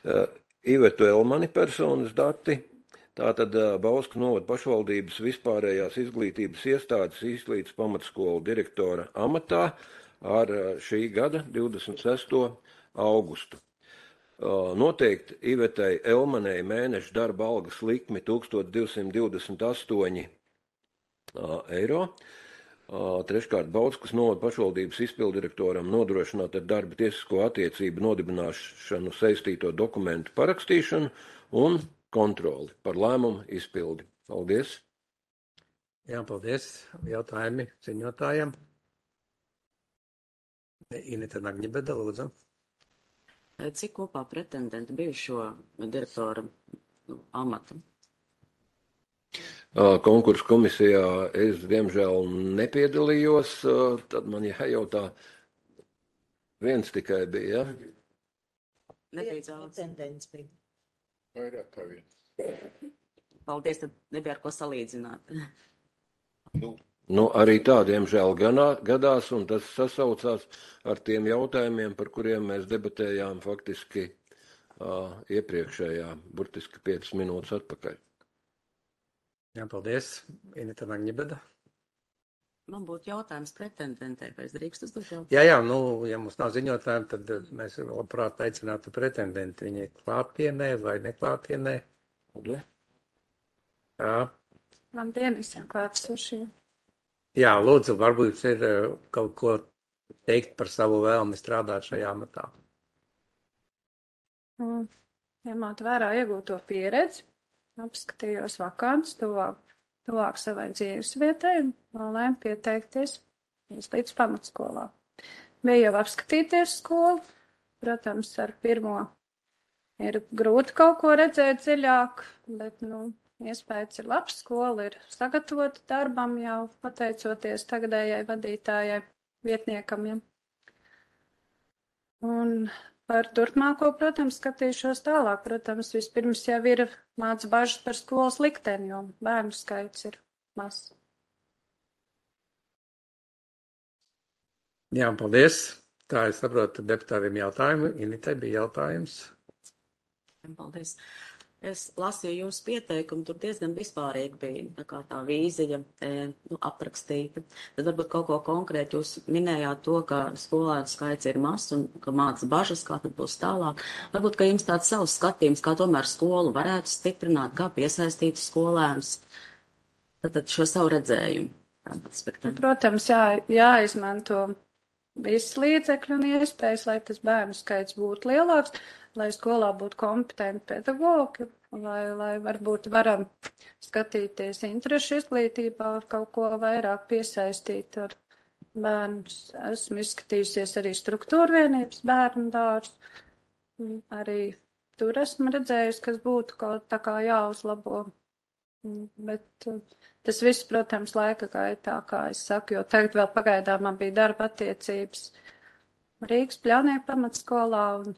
Uh, Ivetu Elmani personas dati, tātad uh, Bauskas novada pašvaldības vispārējās izglītības iestādes Izlītes pamatskolu direktora amatā ar uh, šī gada divdesmit sesto augustu. Uh, noteikti Ivetei Elmanei mēneša darba algas likmi tūkstoš divsimt divdesmit astoņi uh, eiro. Uh, treškārt, Bauskas novada pašvaldības izpildirektoram nodrošināt ar darba tiesisko attiecību nodibināšanu saistīto dokumentu parakstīšanu un kontroli par lēmumu izpildi. Paldies! Jā, paldies. Jautājumi ziņotājiem. Inita Nagņibeda, lūdzu. Cik kopā pretendenti bija šo direktora amatu? Konkursu komisijā es, diemžēl, nepiedalījos, tad man jājautā, viens tikai bija, ja? Nebija pretendents bija. Vairāk kā viens. Paldies, tad nebija ar ko salīdzināt. Nu. Nu, arī tā, diemžēl, gadās, un tas sasaucās ar tiem jautājumiem, par kuriem mēs debatējām faktiski uh, iepriekšējā, burtiski piecas minūtes atpakaļ. Jā, paldies. Inita Nagņibeda. Man būtu jautājums pretendentē, vai es drīkst uzdot jautājumu? Jā, jā, nu, ja mums nav ziņotājumi, tad mēs labprāt aicinātu pretendenti. Viņi ir klātienē vai neklātienē. Jā. Labdien, visiem klātsošiem. Jā, lūdzu, varbūt ir kaut ko teikt par savu vēlmi strādāt šajā amatā. Ņemot vērā iegūto pieredzi, apskatījos vakants tuvāk, tuvāk savai dzīves vietai un nolēmu pieteikties Izlītes pamatskolā. Bija jau apskatīties skolu, protams, ar pirmo ir grūti kaut ko redzēt dziļāk, bet, nu, iespējas ir labs, skola ir sagatavota darbam jau pateicoties tagadējai vadītājai, vietniekam. Ja. Un par turpmāko, protams, skatīšos tālāk. Protams, vispirms jau ir māc bažas par skolas likteni, jo bērnu skaits ir mazs. Jā, paldies. Tā es saprotu deputātiem jautājumu. Initai bija jautājums. Paldies. Es lasīju jūsu pieteikumu, tur diezgan vispārīgi bija tā kā tā vīzija e, nu, aprakstīta. Tad varbūt kaut ko konkrēti jūs minējāt to, ka skolēnu skaits ir mazs un ka māca bažas, kā tad būs tālāk. Varbūt, ka jums tāds savs skatījums, kā tomēr skolu varētu stiprināt, kā piesaistīt skolēnus. Tad šo savu redzējumu. Protams, jā, jāizmanto visi līdzekļi un iespējas, lai tas bērnu skaits būtu lielāks, lai skolā būtu kompetenti pedagogi, lai, lai varbūt varam skatīties interešu izglītībā, kaut ko vairāk piesaistīt ar bērnus. Esmu izskatījusies arī struktūra vienības bērnu dārzu. Arī tur esmu redzējusi, kas būtu kaut tā kā jāuzlabo. Bet tas viss, protams, laika gaitā, kā es saku, jo tagad vēl pagaidām man bija darba attiecības Rīgas Pļaunieku pamatskolā, un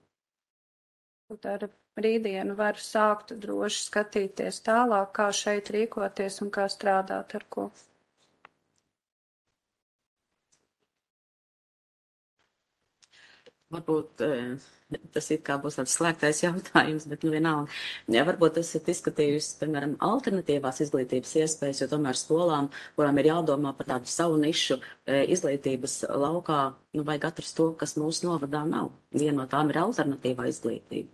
ar rītdienu varu sākt droši skatīties tālāk, kā šeit rīkoties un kā strādāt ar ko. Varbūt tas ir kā būs tāds slēgtais jautājums, bet nu vienalga. Ja, varbūt esat izskatījusi, piemēram, alternatīvās izglītības iespējas, jo tomēr skolām, kurām ir jādomā par tādu savu nišu izglītības laukā, nu vajag atrast to, kas mūsu novadā nav. Viena no tām ir alternatīvā izglītība.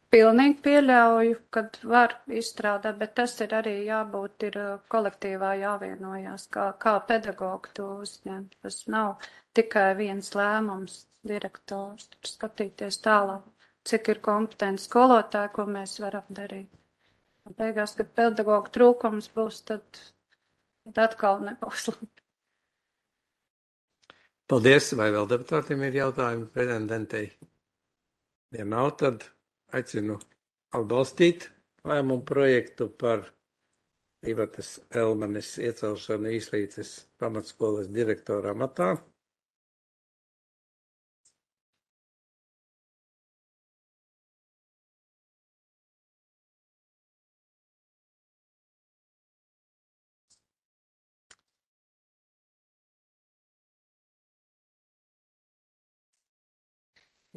Pilnīgi pieļauju, kad var izstrādāt, bet tas ir arī jābūt ir kolektīvā jāvienojās, kā, kā pedagogi to uzņemt. Tas nav tikai viens lēmums direktors, tur skatīties tālāk, cik ir kompetenti skolotāji, ko mēs varam darīt. Un beigās, kad pedagogu trūkums būs, tad, tad atkal nebūs labi. Paldies, vai vēl deputātiem ir jautājumi pretendentei? Ja nav, tad aicinu atbalstīt lēmumu projektu par Ivatas Elmanes iecelšanu Īslītes pamatskolas direktora amatā.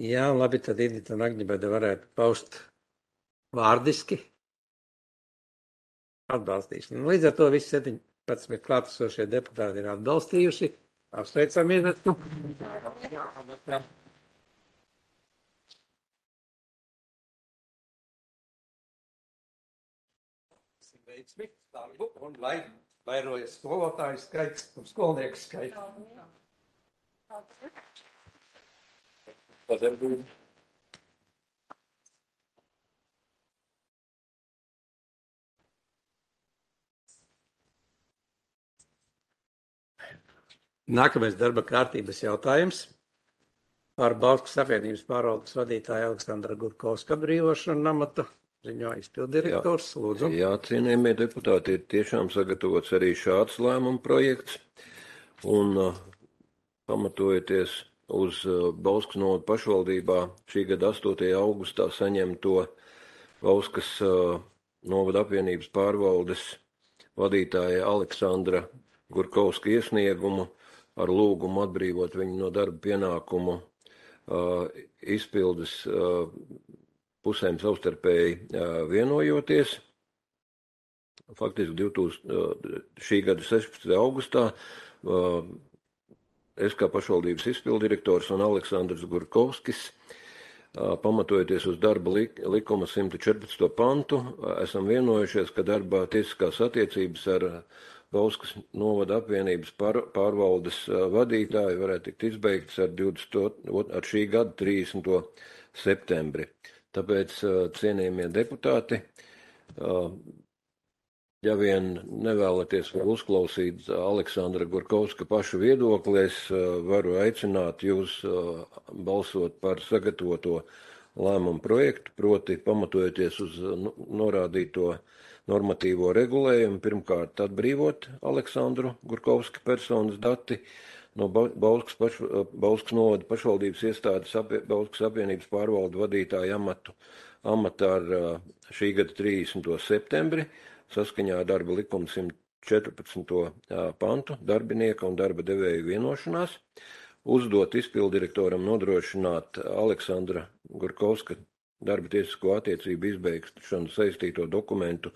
Jā, labi, tad Edita Nagnibēda varētu paust vārdiski atbalstīšanu. Līdz ar to visi septiņpadsmit klātesošie deputāti ir atbalstījuši. Apsveicam Ivetu. Veiksmi, darbu un lai vairojas skolotāju skaits un skolnieku skaits. Sadarbība. Nākamais darba kārtības jautājums par Bauskas apvienības pārvaldes vadītāju Aleksandra Gurkovska atbrīvošanu amata. Ziņo izpildirektors, lūdzu. Jā, cienījamie deputāti, ir tiešām sagatavots arī šāds lēmuma projekts. Un uh, pamatojoties uz Bauskas novada pašvaldībā šī gada astotajā augustā saņemto Bauskas uh, novada apvienības pārvaldes vadītāja Aleksandra Gurkovska iesniegumu ar lūgumu atbrīvot viņu no darba pienākumu uh, izpildes uh, pusēm savstarpēji uh, vienojoties. Faktiski divtūkstošais, uh, šī gada sešpadsmitajā augustā uh, es kā pašvaldības izpildirektors un Aleksandrs Gurkovskis, pamatojoties uz darba likuma simt četrpadsmito pantu, esam vienojušies, ka darba tiesiskās attiecības ar Bauskas novada apvienības pār, pārvaldes vadītāju varētu tikt izbeigtas ar, divdesmit ar šī gada trīsdesmito septembri. Tāpēc, cienījamie deputāti, ja vien nevēlaties vēl uzklausīt Aleksandra Gurkovska pašu viedokli, es varu aicināt jūs balsot par sagatavoto lēmumu projektu, proti pamatojoties uz norādīto normatīvo regulējumu, pirmkārt atbrīvot Aleksandru Gurkovska personas dati no Bauskas, paš, Bauskas novada pašvaldības iestādes apie, Bauskas apvienības pārvaldu vadītāju amatu amatā ar šī gada trīsdesmito septembri, saskaņā ar darba likuma simt četrpadsmito pantu darbinieka un darba devēju vienošanās, uzdot izpildirektoram nodrošināt Aleksandra Gurkovska darba tiesisko attiecību izbeigšanu saistīto dokumentu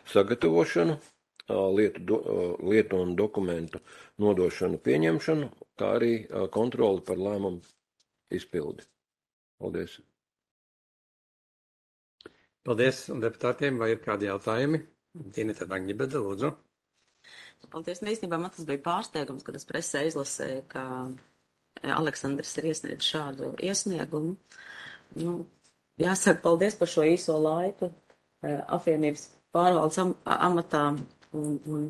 sagatavošanu, lietu, do, lietu un dokumentu nodošanu pieņemšanu, kā arī kontroli par lēmumu izpildi. Paldies. Paldies deputātiem, vai ir kādi jautājumi? Tīnita Nagnibēda, lūdzu. Paldies. Un īstenībā man tas bija pārsteigums, kad es presē izlasēju, ka Aleksandrs ir iesniedzis šādu iesniegumu. Nu, jāsaka paldies par šo īso laiku apvienības pārvaldes am amatā. Un, un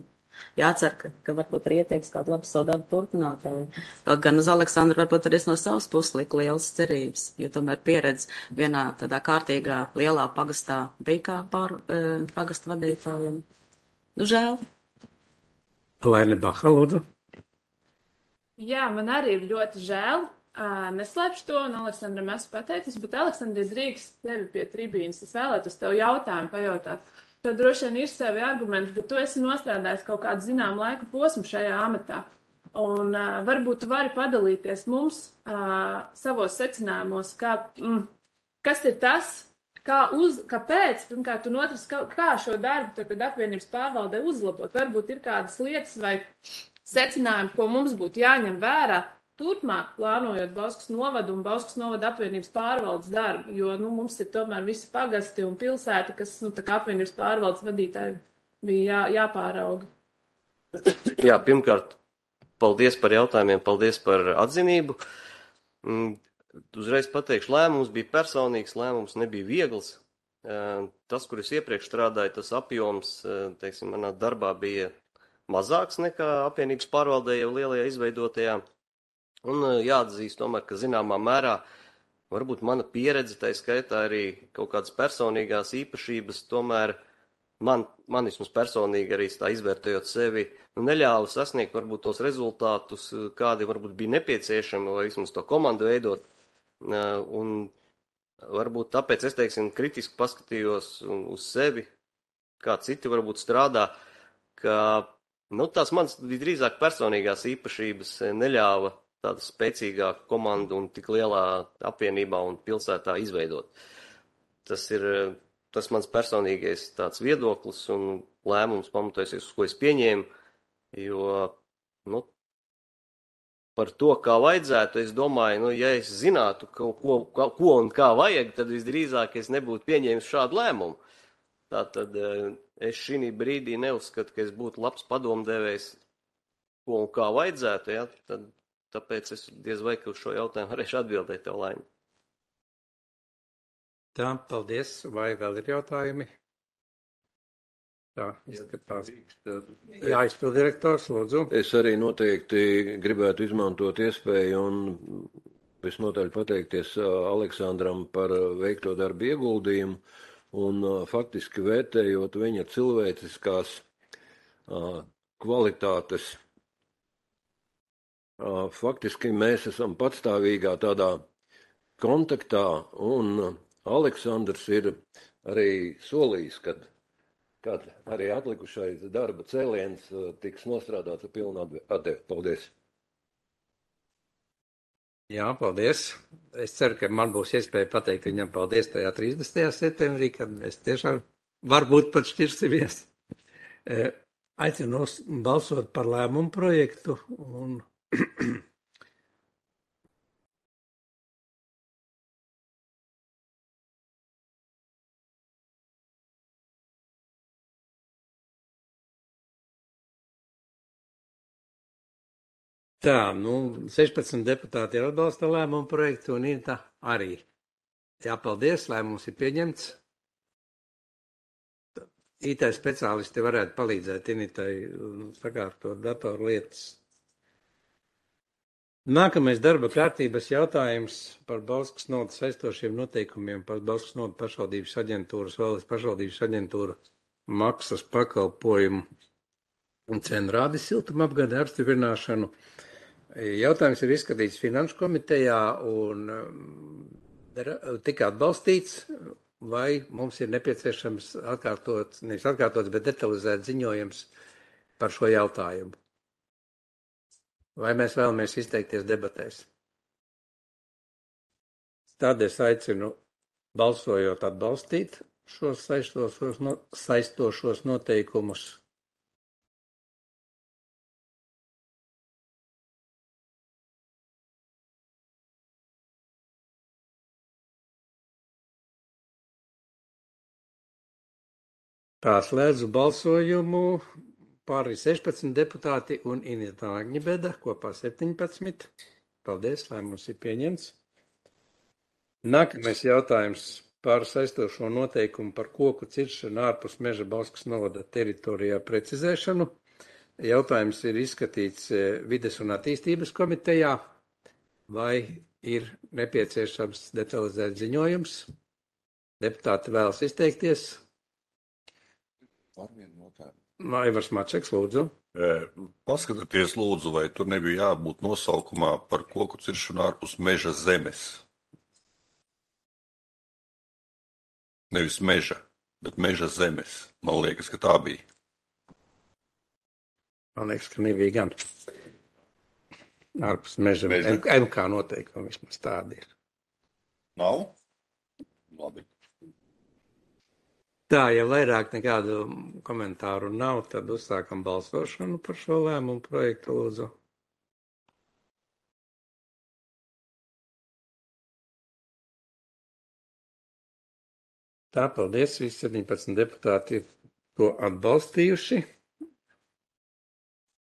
jācer, ka, ka varbūt arī ieteiks kādu labu savu darbu turpinātāju. Kaut gan uz Aleksandru varbūt arī no savas puses lika lielas cerības, jo tomēr pieredze vienā tādā kārtīgā lielā pagastā bija kā pār e, pagasta vadītājiem. Nu, žēl. Laine Baha, lūdzu. Jā, man arī ir ļoti žēl. Uh, neslēpšu to, un Aleksandram esmu pateicis, bet Aleksandri drīkst tevi pie tribīnas. Es vēlētos tev jautājumu pajautāt. Tev droši vien ir savi argumenti, bet tu esi nostrādājis kaut kādu zinām laika posmu šajā amatā. Un uh, varbūt tu vari padalīties mums uh, savos secinājumos, kā, mm, kas ir tas, kā uz, kāpēc, pirmkārt, un otrs, kā, kā šo darbu tagad apvienības pārvaldē uzlabot. Varbūt ir kādas lietas vai secinājumi, ko mums būtu jāņem vērā turpmāk, plānojot Bauskas novadu un Bauskas novada apvienības pārvaldes darbu, jo nu, mums ir tomēr visi pagasti un pilsēti, kas nu, tā kā apvienības pārvaldes vadītāji bija jā, jāpārauga. Jā, pirmkārt, paldies par jautājumiem, paldies par atzinību. Uzreiz pateikšu, lēmums bija personīgs, lēmums nebija viegls. Tas, kur es iepriekš strādāju, tas apjoms, teiksim, manā darbā bija mazāks nekā apvienības pārvaldē jau lielajā izveidotajā. Un jāatzīst tomēr, ka zināmā mērā varbūt mana pieredze, tā skaitā arī kaut kādas personīgās īpašības, tomēr man, man vismaz personīgi arī tā izvērtējot sevi, nu, neļāva sasniegt varbūt tos rezultātus, kādi varbūt bija nepieciešami, vai vismaz to komandu veidot. Un varbūt tāpēc es, teiksim, kritiski paskatījos uz sevi, kā citi varbūt strādā, ka, nu, tās manas drīzāk personīgās īpašības neļāva tāda spēcīgāka komanda un tik lielā apvienībā un pilsētā izveidot. Tas ir tas mans personīgais tāds viedoklis un lēmums pamatojusies, uz ko es pieņēmu, jo, nu, par to, kā vajadzētu, es domāju, nu, ja es zinātu, ko, ko, ko un kā vajag, tad visdrīzāk es nebūtu pieņēmis šādu lēmumu. Tātad es šī brīdī neuzskatu, ka es būtu labs padomdevējs, ko un kā vajadzētu, ja, tad tāpēc es diez vai, ka uz šo jautājumu varēšu atbildēt tev, Laini. Tā, paldies. Vai vēl ir jautājumi? Tā, izskatās. Jā, izpildirektors, lūdzu. Es arī noteikti gribētu izmantot iespēju un visnotaļ pateikties Aleksandram par veikto darbu ieguldījumu un faktiski vērtējot viņa cilvēciskās kvalitātes. Faktiski mēs esam patstāvīgā tādā kontaktā, un Aleksandrs ir arī solījis, kad, kad arī atlikušais darba cēliens tiks nostrādāts ar pilnu atdevi. Paldies! Jā, paldies. Es ceru, ka man būs iespēja pateikt viņam paldies tajā trīsdesmitajā septembrī, kad mēs tiešām varbūt pat šķirsimies. Aicinu balsot par lēmumu projektu un tā, nu, sešpadsmit deputāti ir atbalsta lēmumu projektu un Inta arī. Jā, paldies, lēmums ir pieņemts. I T speciālisti varētu palīdzēt Initai sakārtot datoru lietas. Nākamais darba kārtības jautājums par Bauskas novadas saistošiem noteikumiem par Bauskas novada pašvaldības aģentūras, valsts pašvaldības aģentūra maksas pakalpojumu un cenu rādi siltumapgāde apstiprināšanu. Jautājums ir izskatīts Finanšu komitejā un tika atbalstīts, vai mums ir nepieciešams atkārtot, nevis atkārtots, bet detalizēt ziņojums par šo jautājumu. Vai mēs vēlamies izteikties debatēs? Tad es aicinu balsojot atbalstīt šos saistošos, no, saistošos noteikumus. Tā slēdzu balsojumu pāri sešpadsmit deputāti un Inita Agņibeda kopā septiņpadsmit. Paldies, lēmums ir pieņemts. Nākamais jautājums par saistošo noteikumu par koku ciršanu ārpus Meža Bauskas novada teritorijā precizēšanu. Jautājums ir izskatīts Vides un attīstības komitejā. Vai ir nepieciešams detalizēt ziņojums? Deputāti vēlas izteikties. Aivars Mačeks, lūdzu. Paskatieties, lūdzu, vai tur nebija jābūt nosaukumā par koku ciršanu ārpus meža zemes. Nevis meža, bet meža zemes. Man liekas, ka tā bija. Man liekas, ka nebija gan. Ārpus meža. Meža. M K noteikumi vismaz tādi ir. Nav? Labi. Tā, ja vairāk nekādu komentāru nav, tad uzsākam balsošanu par šo lēmumu projektu, lūdzu. Tā, paldies, visi septiņpadsmit deputāti ir to atbalstījuši.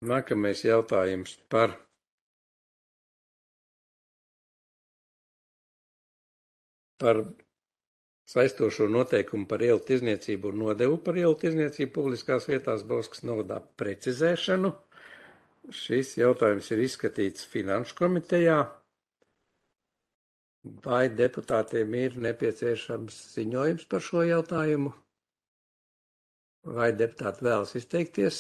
Nākamais jautājums par par saistošo noteikumu par ielu tirdzniecību un nodevu par ielu tirdzniecību publiskās vietās Bauskas novadā precizēšanu. Šis jautājums ir izskatīts Finanšu komitejā. Vai deputātiem ir nepieciešams ziņojums par šo jautājumu? Vai deputāti vēlas izteikties?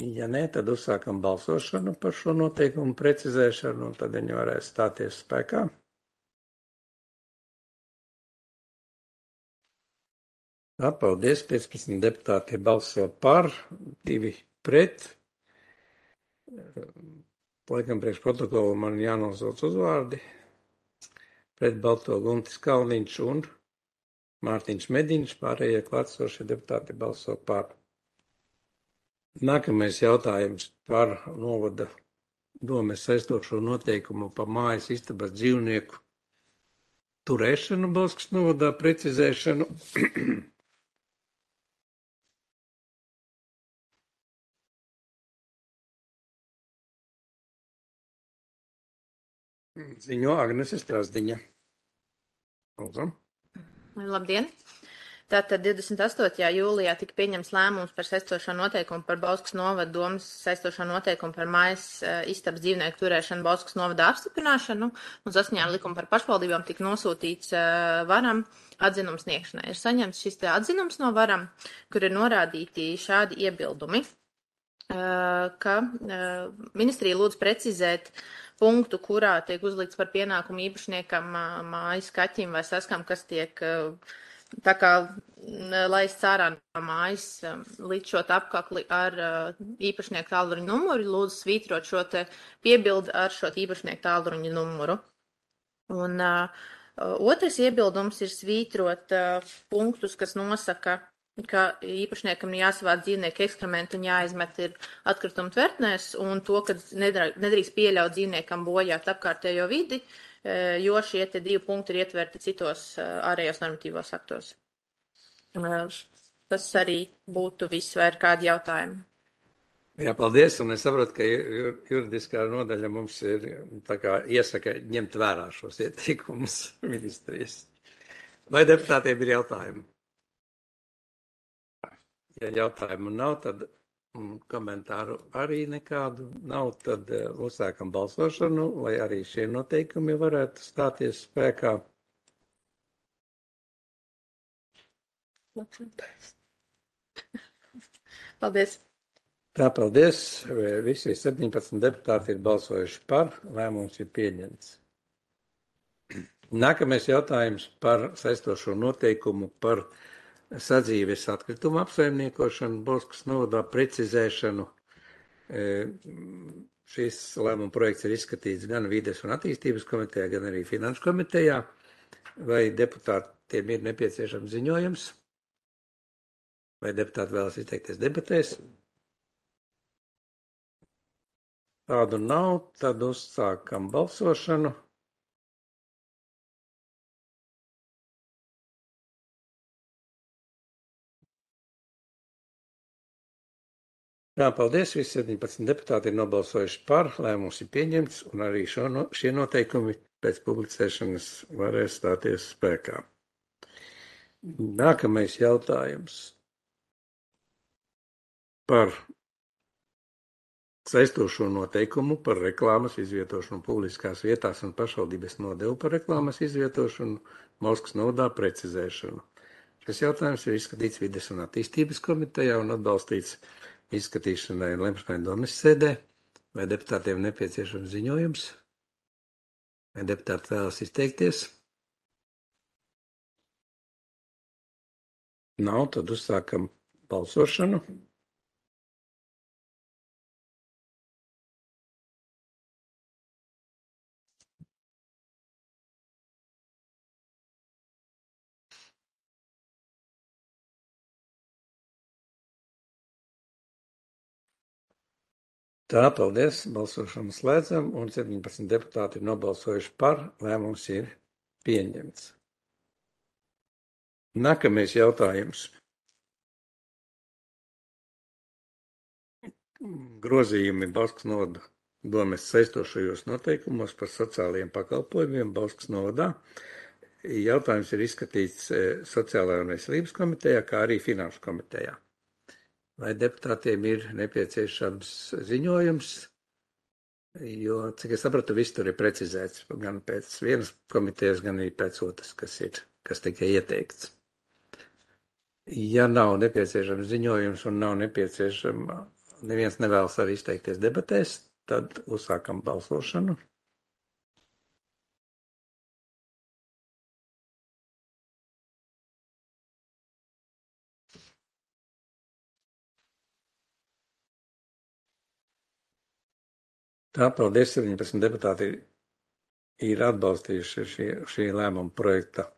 Ja nē, tad uzsākam balsošanu par šo noteikumu precizēšanu, un tad viņi varēs stāties spēkā. Tā, paldies, piecpadsmit deputāti balso par, divi pret. Laikam priekš protokolu man jānosauc uzvārdi. Pret balto Guntis Kalniņš un Mārtiņš Mediņš, pārējie klātsošie deputāti balso par. Nākamais jautājums par novada domes saistošo noteikumu par mājas istabas dzīvnieku turēšanu Bauskas novadā precizēšanu. Ziņo Agnese Strasdiņa. Lūdzu. Labdien! Tātad divdesmit astotajā jūlijā tika pieņems lēmums par saistošo noteikumu par Bauskas novada domas saistošo noteikumu par mājas istabas dzīvnieku turēšanu Bauskas novada apstiprināšanu un saskaņā ar likumu par pašvaldībām tika nosūtīts varam atzinums sniegšanai. Ir saņemts šis te atzinums no varam, kur ir norādīti šādi iebildumi, ka ministrija lūdz precizēt punktu, kurā tiek uzlikts par pienākumu īpašniekam mājas kaķim vai saskam, kas tiek tā kā laists ārā no mājas līdz šo apkakli ar īpašnieku tālruņa numuru, lūdzu svītrot šo te piebildi ar šo īpašnieku tālruņa numuru. Un uh, otrs iebildums ir svītrot uh, punktus, kas nosaka, ka īpašniekam jāsavāc dzīvnieku ekskrementu un jāizmet ir atkritumu tvertnēs, un to, ka nedrīkst pieļaut dzīvniekam bojāt apkārtējo vidi, jo šie te divi punkti ir ietverti citos ārējos normatīvos aktos. Tas arī būtu viss, vai ir kādi jautājumi? Jā, paldies, un es saprotu, ka juridiskā nodaļa mums ir tā kā iesaka ņemt vērā šos ieteikumus ministrijas. Vai deputātiem ir jautājumi? Ja jautājumu nav, tad komentāru arī nekādu nav, tad uzsākam balsošanu, lai arī šie noteikumi varētu stāties spēkā. Paldies. Tā, paldies. Visi septiņpadsmit deputāti ir balsojuši par, lēmums ir pieņemts. Nākamais jautājums par saistošo noteikumu par sadzīves atkritumu apsaimniekošanu Bauskas novadā precizēšanu. Šis lēmuma projekts ir izskatīts gan Vides un attīstības komitejā, gan arī Finanšu komitejā. Vai deputātiem ir nepieciešams ziņojums? Vai deputāti vēlas izteikties debatēs? Tādu nav, tad uzsākam balsošanu. Jā, paldies. Visi septiņpadsmit deputāti ir nobalsojuši par, lēmums ir pieņemts, un arī šo, no, šie noteikumi pēc publicēšanas varēs stāties spēkā. Nākamais jautājums par saistošo noteikumu par reklāmas izvietošanu publiskās vietās un pašvaldības nodevu par reklāmas izvietošanu Moskvas novadā precizēšanu. Šis jautājums ir izskatīts Vides un attīstības komitejā un atbalstīts izskatīšanai un lemšanai domes sēdē. Vai deputātiem nepieciešams ziņojums? Vai deputāti vēlas izteikties? Nav, tad uzsākam balsošanu. Tā, paldies, balsošanu slēdzam, un septiņpadsmit deputāti ir nobalsojuši par, lēmums ir pieņemts. Nākamais jautājums. Grozījumi Bauskas novada domes saistošajos noteikumos par sociālajiem pakalpojumiem Bauskas novadā. Jautājums ir izskatīts Sociālajā un veselības komitejā, kā arī Finanšu komitejā. Vai deputātiem ir nepieciešams ziņojums, jo, cik es sapratu, viss tur ir precizēts, gan pēc vienas komitejas, gan arī pēc otras, kas ir, kas tikai ieteikts. Ja nav nepieciešams ziņojums un nav nepieciešama, neviens nevēlas arī izteikties debatēs, tad uzsākam balsošanu. Tā, paldies, septiņpadsmit deputāti ir atbalstījuši šī, šī lēmuma projekta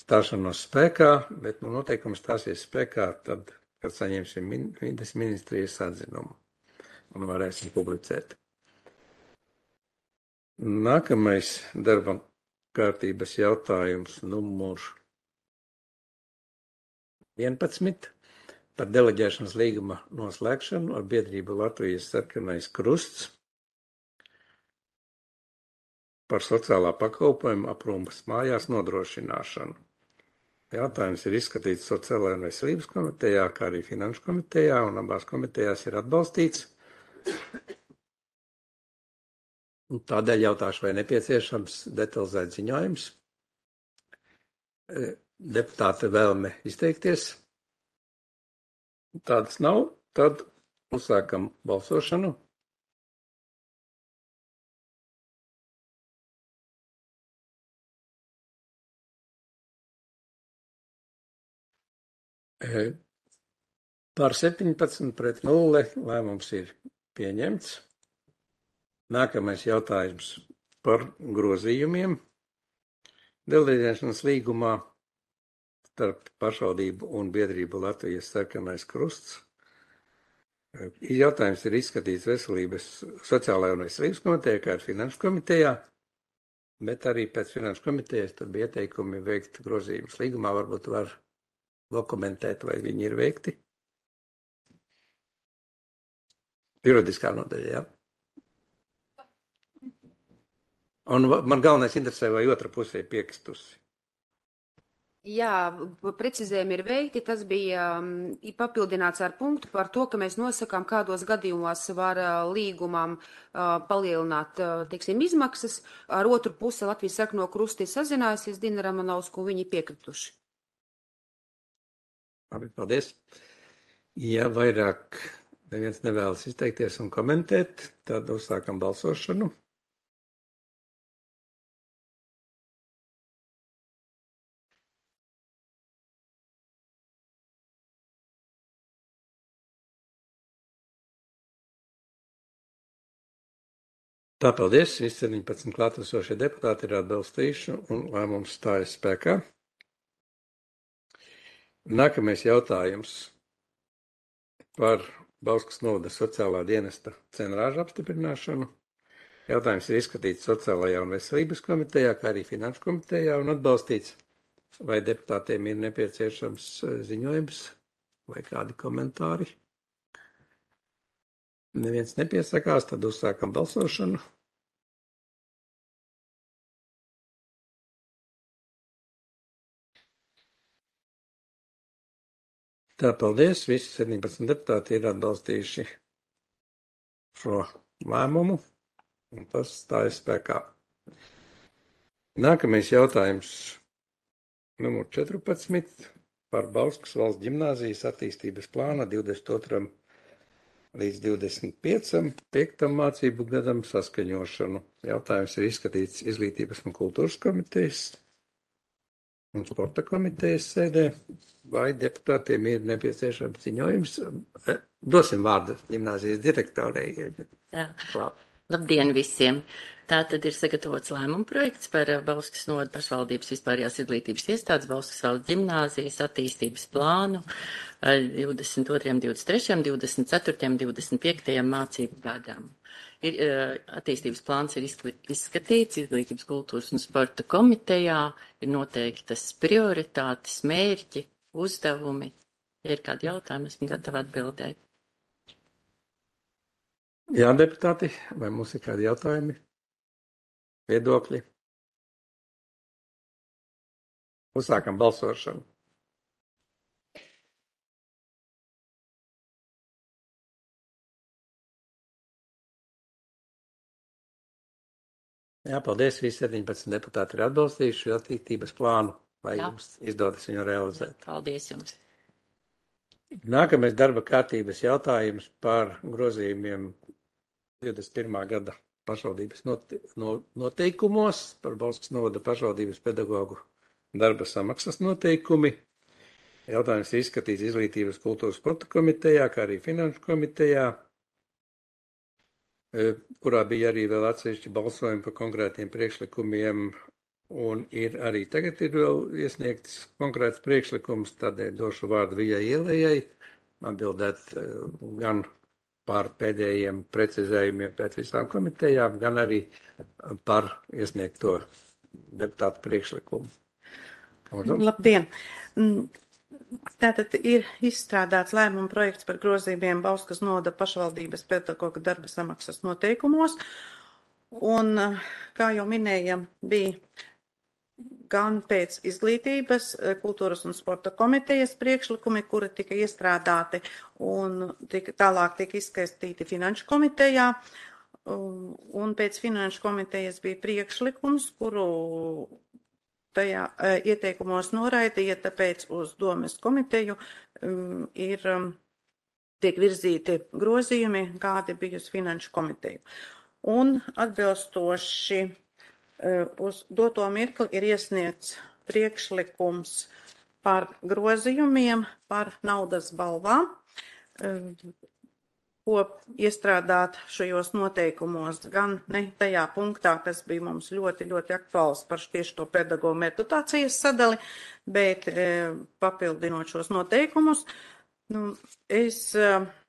stāšanos spēkā, bet nu, noteikums stāsies spēkā tad, kad saņemsim min, vides ministrijas atzinumu un varēsim publicēt. Nākamais darba kārtības jautājums numur vienpadsmit par deleģēšanas līguma noslēgšanu ar biedrību Latvijas sarkanais krusts par sociālā pakalpojuma aprūpas mājās nodrošināšanu. Jautājums ir izskatīts Sociālajā un veselības komitejā, kā arī Finanšu komitejā, un abās komitejās ir atbalstīts. Un tādēļ jautāšu, vai nepieciešams detalizēt ziņojums. Deputāte vēlme izteikties. Tādas nav, tad uzsākam balsošanu. Par septiņpadsmit pret nulle lēmums ir pieņemts. Nākamais jautājums par grozījumiem. Deleģēšanas līgumā starp pašvaldību un biedrību Latvijas sarkanais krusts. Jautājums ir izskatīts Veselības, Sociālajā un veselības komitejā, kā arī Finanšu komitejā, bet arī pēc Finanšu komitejas tur bija ieteikumi veikt grozījumus. Līgumā varbūt var dokumentēt, vai viņi ir veikti. Juridiskā nodaļa, jā. Un man galvenais interesē, vai otra pusē piekristusi. Jā, precizējumi ir veikti. Tas bija um, papildināts ar punktu par to, ka mēs nosakām, kādos gadījumos var uh, līgumam uh, palielināt uh, teiksim, izmaksas. Ar otru pusi Latvijas sarkano krusti sazinājusies Dina Ramanovsku, un viņi piekrituši. Labi, paldies. Ja vairāk neviens nevēlas izteikties un komentēt, tad uzsākam balsošanu. Tā, paldies. Visi septiņpadsmit klātesošie deputāti ir atbalstījuši un lēmums stājas spēkā. Nākamais jautājums par Bauskas novada sociālā dienesta cenrāžu apstiprināšanu. Jautājums ir izskatīts Sociālajā un veselības komitejā, kā arī Finanšu komitejā un atbalstīts. Vai deputātiem ir nepieciešams ziņojums vai kādi komentāri? Neviens nepiesakās, tad uzsākam balsošanu. Tā, paldies. Visi septiņpadsmit deputāti ir atbalstījuši šo lēmumu, un tas stājas spēkā. Nākamais jautājums numur četrpadsmit par Bauskas valsts ģimnāzijas attīstības plāna divdesmit otram līdz divdesmit piektam mācību gadam saskaņošanu. Jautājums ir izskatīts Izglītības un kultūras komitejas un sporta komitejas sēdē. Vai deputātiem ir nepieciešams ziņojums? Dosim vārdu ģimnāzijas direktorei. Jā. Labdien visiem! Tātad ir sagatavots lēmuma projekts par Bauskas novada pašvaldības vispārējās izglītības iestādes Bauskas valsts ģimnāzijas attīstības plānu divdesmit otram, divdesmit trešajam, divdesmit ceturtajam, divdesmit piektajam mācību gadam. Ir, attīstības plāns ir izskatīts Izglītības, kultūras un sporta komitejā, ir noteiktas prioritātes, mērķi, uzdevumi. Ja ir kādi jautājumi, esmu gatava atbildēt. Jā, deputāti, vai mums ir kādi jautājumi? Viedokļi? Uzsākam balsošanu. Jā, paldies. Visi septiņpadsmit deputāti ir atbalstījuši attīstības plānu. Vai Jā. Jums izdodas viņu realizēt? Paldies jums. Nākamais darba kārtības jautājums par grozījumiem divdesmit pirmā gada pašvaldības noteikumos, par Bauskas novada pašvaldības pedagogu darba samaksas noteikumi. Jautājums ir izskatīts Izglītības, kultūras sporta komitejā, kā arī finanšu komitejā, kurā bija arī vēl atsevišķi balsojumi par konkrētiem priekšlikumiem, un ir arī tagad ir vēl iesniegts konkrēts priekšlikums, tādēļ došu vārdu Vijai Ielējai, atbildēt gan par pēdējiem precizējumiem pēc visām komitejām, gan arī par iesniegto deputātu priekšlikumu. Lūdzu. Labdien! Tātad ir izstrādāts lēmuma projekts par grozījumiem Bauskas novada pašvaldības pedagoga darba samaksas noteikumos, un, kā jau minējam, bija gan pēc Izglītības, kultūras un sporta komitejas priekšlikumi, kuri tika iestrādāti un tika, tālāk tika izskatīti finanšu komitejā, un pēc finanšu komitejas bija priekšlikums, kuru tajā ieteikumos noraidīja, tāpēc uz domes komiteju um, ir um, tiek virzīti grozījumi, kādi bija uz finanšu komiteju. Un atbilstoši uh, uz doto mirkli ir iesniegts priekšlikums par grozījumiem, par naudas balvām, uh, ko iestrādāt šajos noteikumos, gan ne tajā punktā, kas bija mums ļoti, ļoti aktuāls par tieši to pedagogu meritācijas sadali, bet e, papildinot šos noteikumus, nu, es e,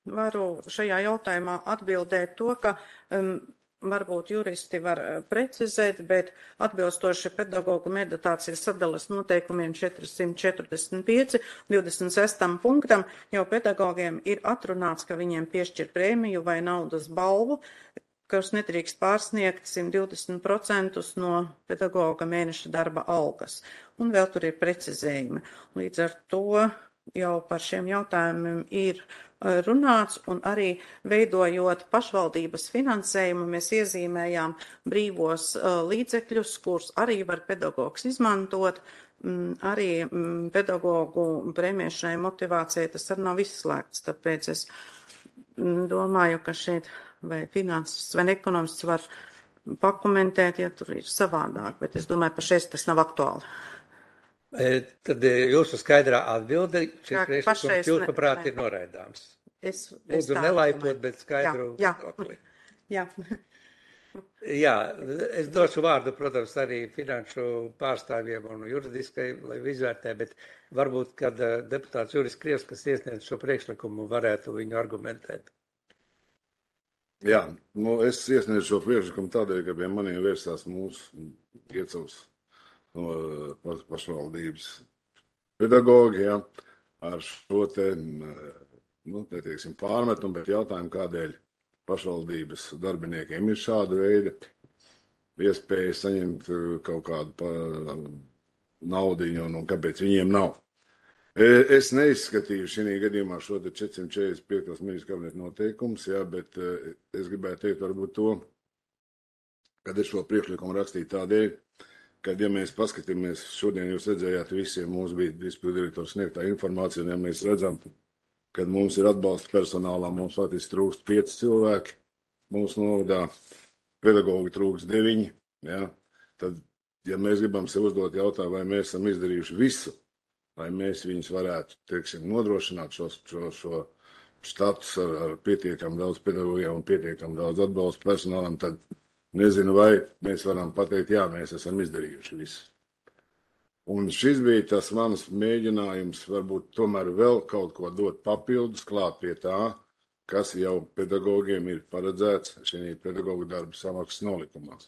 varu šajā jautājumā atbildēt to, ka um, varbūt juristi var precizēt, bet atbilstoši pedagogu meditācijas sadalas noteikumiem četrsimt četrdesmit pieci, divdesmit sestam punktam, jau pedagogiem ir atrunāts, ka viņiem piešķir prēmiju vai naudas balvu, kas nedrīkst pārsniegt simt divdesmit procentus no pedagoga mēneša darba algas. Un vēl tur ir precizējumi. Līdz ar to jau par šiem jautājumiem ir runāts, un arī veidojot pašvaldības finansējumu, mēs iezīmējām brīvos uh, līdzekļus, kurus arī var pedagogs izmantot, mm, arī mm, pedagogu prēmēšanai motivācijai tas arī nav izslēgts, tāpēc es mm, domāju, ka šeit vai finanses vai ekonomists var pakomentēt, ja tur ir savādāk, bet es domāju, ka šeit tas nav aktuāli. Tad jūsu skaidrā atbilde, šis priekšlikums jūsuprāt ir noraidāms. Es, es Lūdzu, nelaipot, bet skaidru viedokli. Jā, jā. jā, es došu vārdu, protams, arī finanšu pārstāvjiem un juridiskai, lai izvērtē, bet varbūt, kad deputāts Juris Krievs, kas iesniedz šo priekšlikumu, varētu viņu argumentēt. Jā, nu es iesniedzu šo priekšlikumu tādēļ, ka pie maniem vērsās mūsu iecavs no pašvaldības pedagogi, jā, ar šo te, nu, teiksim, pārmetumu, bet jautājumu, kādēļ pašvaldības darbiniekiem ir šāda veida iespēja saņemt kaut kādu pa, naudiņu, un, un kāpēc viņiem nav. Es neizskatīju šī gadījumā šo četrsimt četrdesmit piekto ministru kabineta noteikumus, jā, bet es gribētu teikt varbūt to, kad es šo priekšlikumu rakstīju tādēļ, kad, ja mēs paskatāmies, šodien jūs redzējāt visiem, mums bija izpildu direktors sniegtā informācija, un ja mēs redzam, kad mums ir atbalsta personālā, mums faktiski trūkst pieci cilvēki, mūsu novadā pedagogi trūkst deviņi, ja, tad, ja mēs gribam sev uzdot jautājumu, vai mēs esam izdarījuši visu, lai mēs viņus varētu, teiksim, nodrošināt šo, šo, šo status ar, ar pietiekam daudz pedagogiem un pietiekam daudz atbalsta personālam, tad nezinu, vai mēs varam pateikt, jā, mēs esam izdarījuši visu. Un šis bija tas mans mēģinājums varbūt tomēr vēl kaut ko dot papildus klāt pie tā, kas jau pedagogiem ir paredzēts šī pedagogu darba samaksas nolikumās.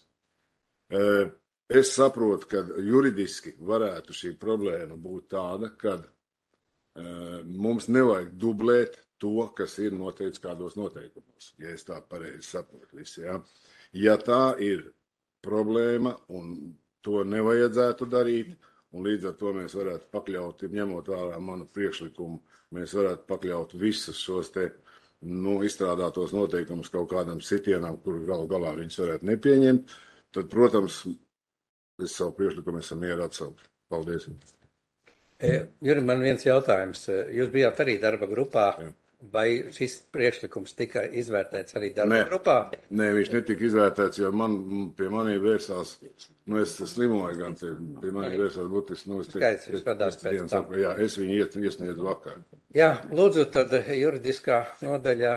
Es saprotu, ka juridiski varētu šī problēma būt tāda, kad mums nevajag dublēt to, kas ir noteikts kādos noteikumos, ja es tā pareizi saprotu visu, ja. Ja tā ir problēma un to nevajadzētu darīt, un līdz ar to mēs varētu pakļaut, ņemot vērā manu priekšlikumu, mēs varētu pakļaut visus šos te, nu, izstrādātos noteikumus kaut kādam sitienam, kur galu galā viņus varētu nepieņemt, tad, protams, es savu priekšlikumu esam mieru atsaukt. Paldies. E, Juri, man viens jautājums. Jūs bijāt arī darba grupā. Jā. Vai šis priekšlikums tika izvērtēts arī darba Nē. grupā? Nē, viņš netika izvērtēts, jo man, pie manī vērsās, nu es slimoju gan, te, pie manī vērsās būtis, nu es te, Skaidrs, jūs vadās pēc tam. Jā, es viņu iet, iesniedzu vakar. Jā, lūdzu, tad juridiskā nodaļa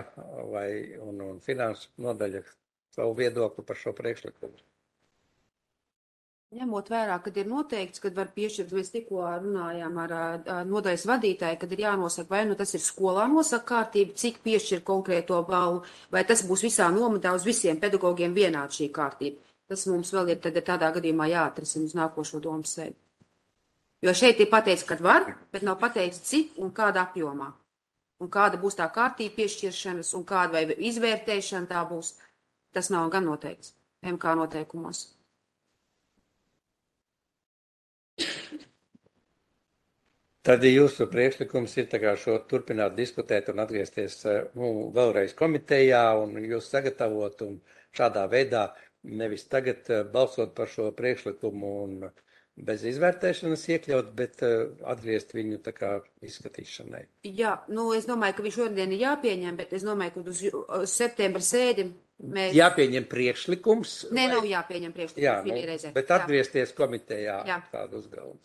vai un, un finanšu nodaļa savu viedokli par šo priekšlikumu. Ņemot vērā, kad ir noteikts, kad var piešķirt, mēs tikko runājām ar, ar nodaļas vadītāju, kad ir jānosaka, vai nu tas ir skolā nosaka kārtība, cik piešķir konkrēto balvu, vai tas būs visā nomadā uz visiem pedagogiem vienādi šī kārtība. Tas mums vēl ir tad tādā gadījumā jāatrisina uz nākošo domas sēdi. Jo šeit ir pateikts, kad var, bet nav pateikts, cik un kādā apjomā. Un kāda būs tā kārtība piešķiršanas un kāda vai izvērtēšana tā būs, tas nav gan noteikts M K noteikumos. Tad jūsu priekšlikums ir tā kā šo turpināt diskutēt un atgriezties nu, vēlreiz komitejā un jūs sagatavot un šādā veidā nevis tagad balsot par šo priekšlikumu un bez izvērtēšanas iekļaut, bet atgriezt viņu tā kā izskatīšanai. Jā, nu es domāju, ka viņš šodien ir jāpieņem, bet es domāju, ka uz, uz septembra sēdi mēs... Jāpieņem priekšlikums? Nē, nav jāpieņem priekšlikums. Jā, nu, bet atgriezties komitejā Jā. tādu uzdevumu.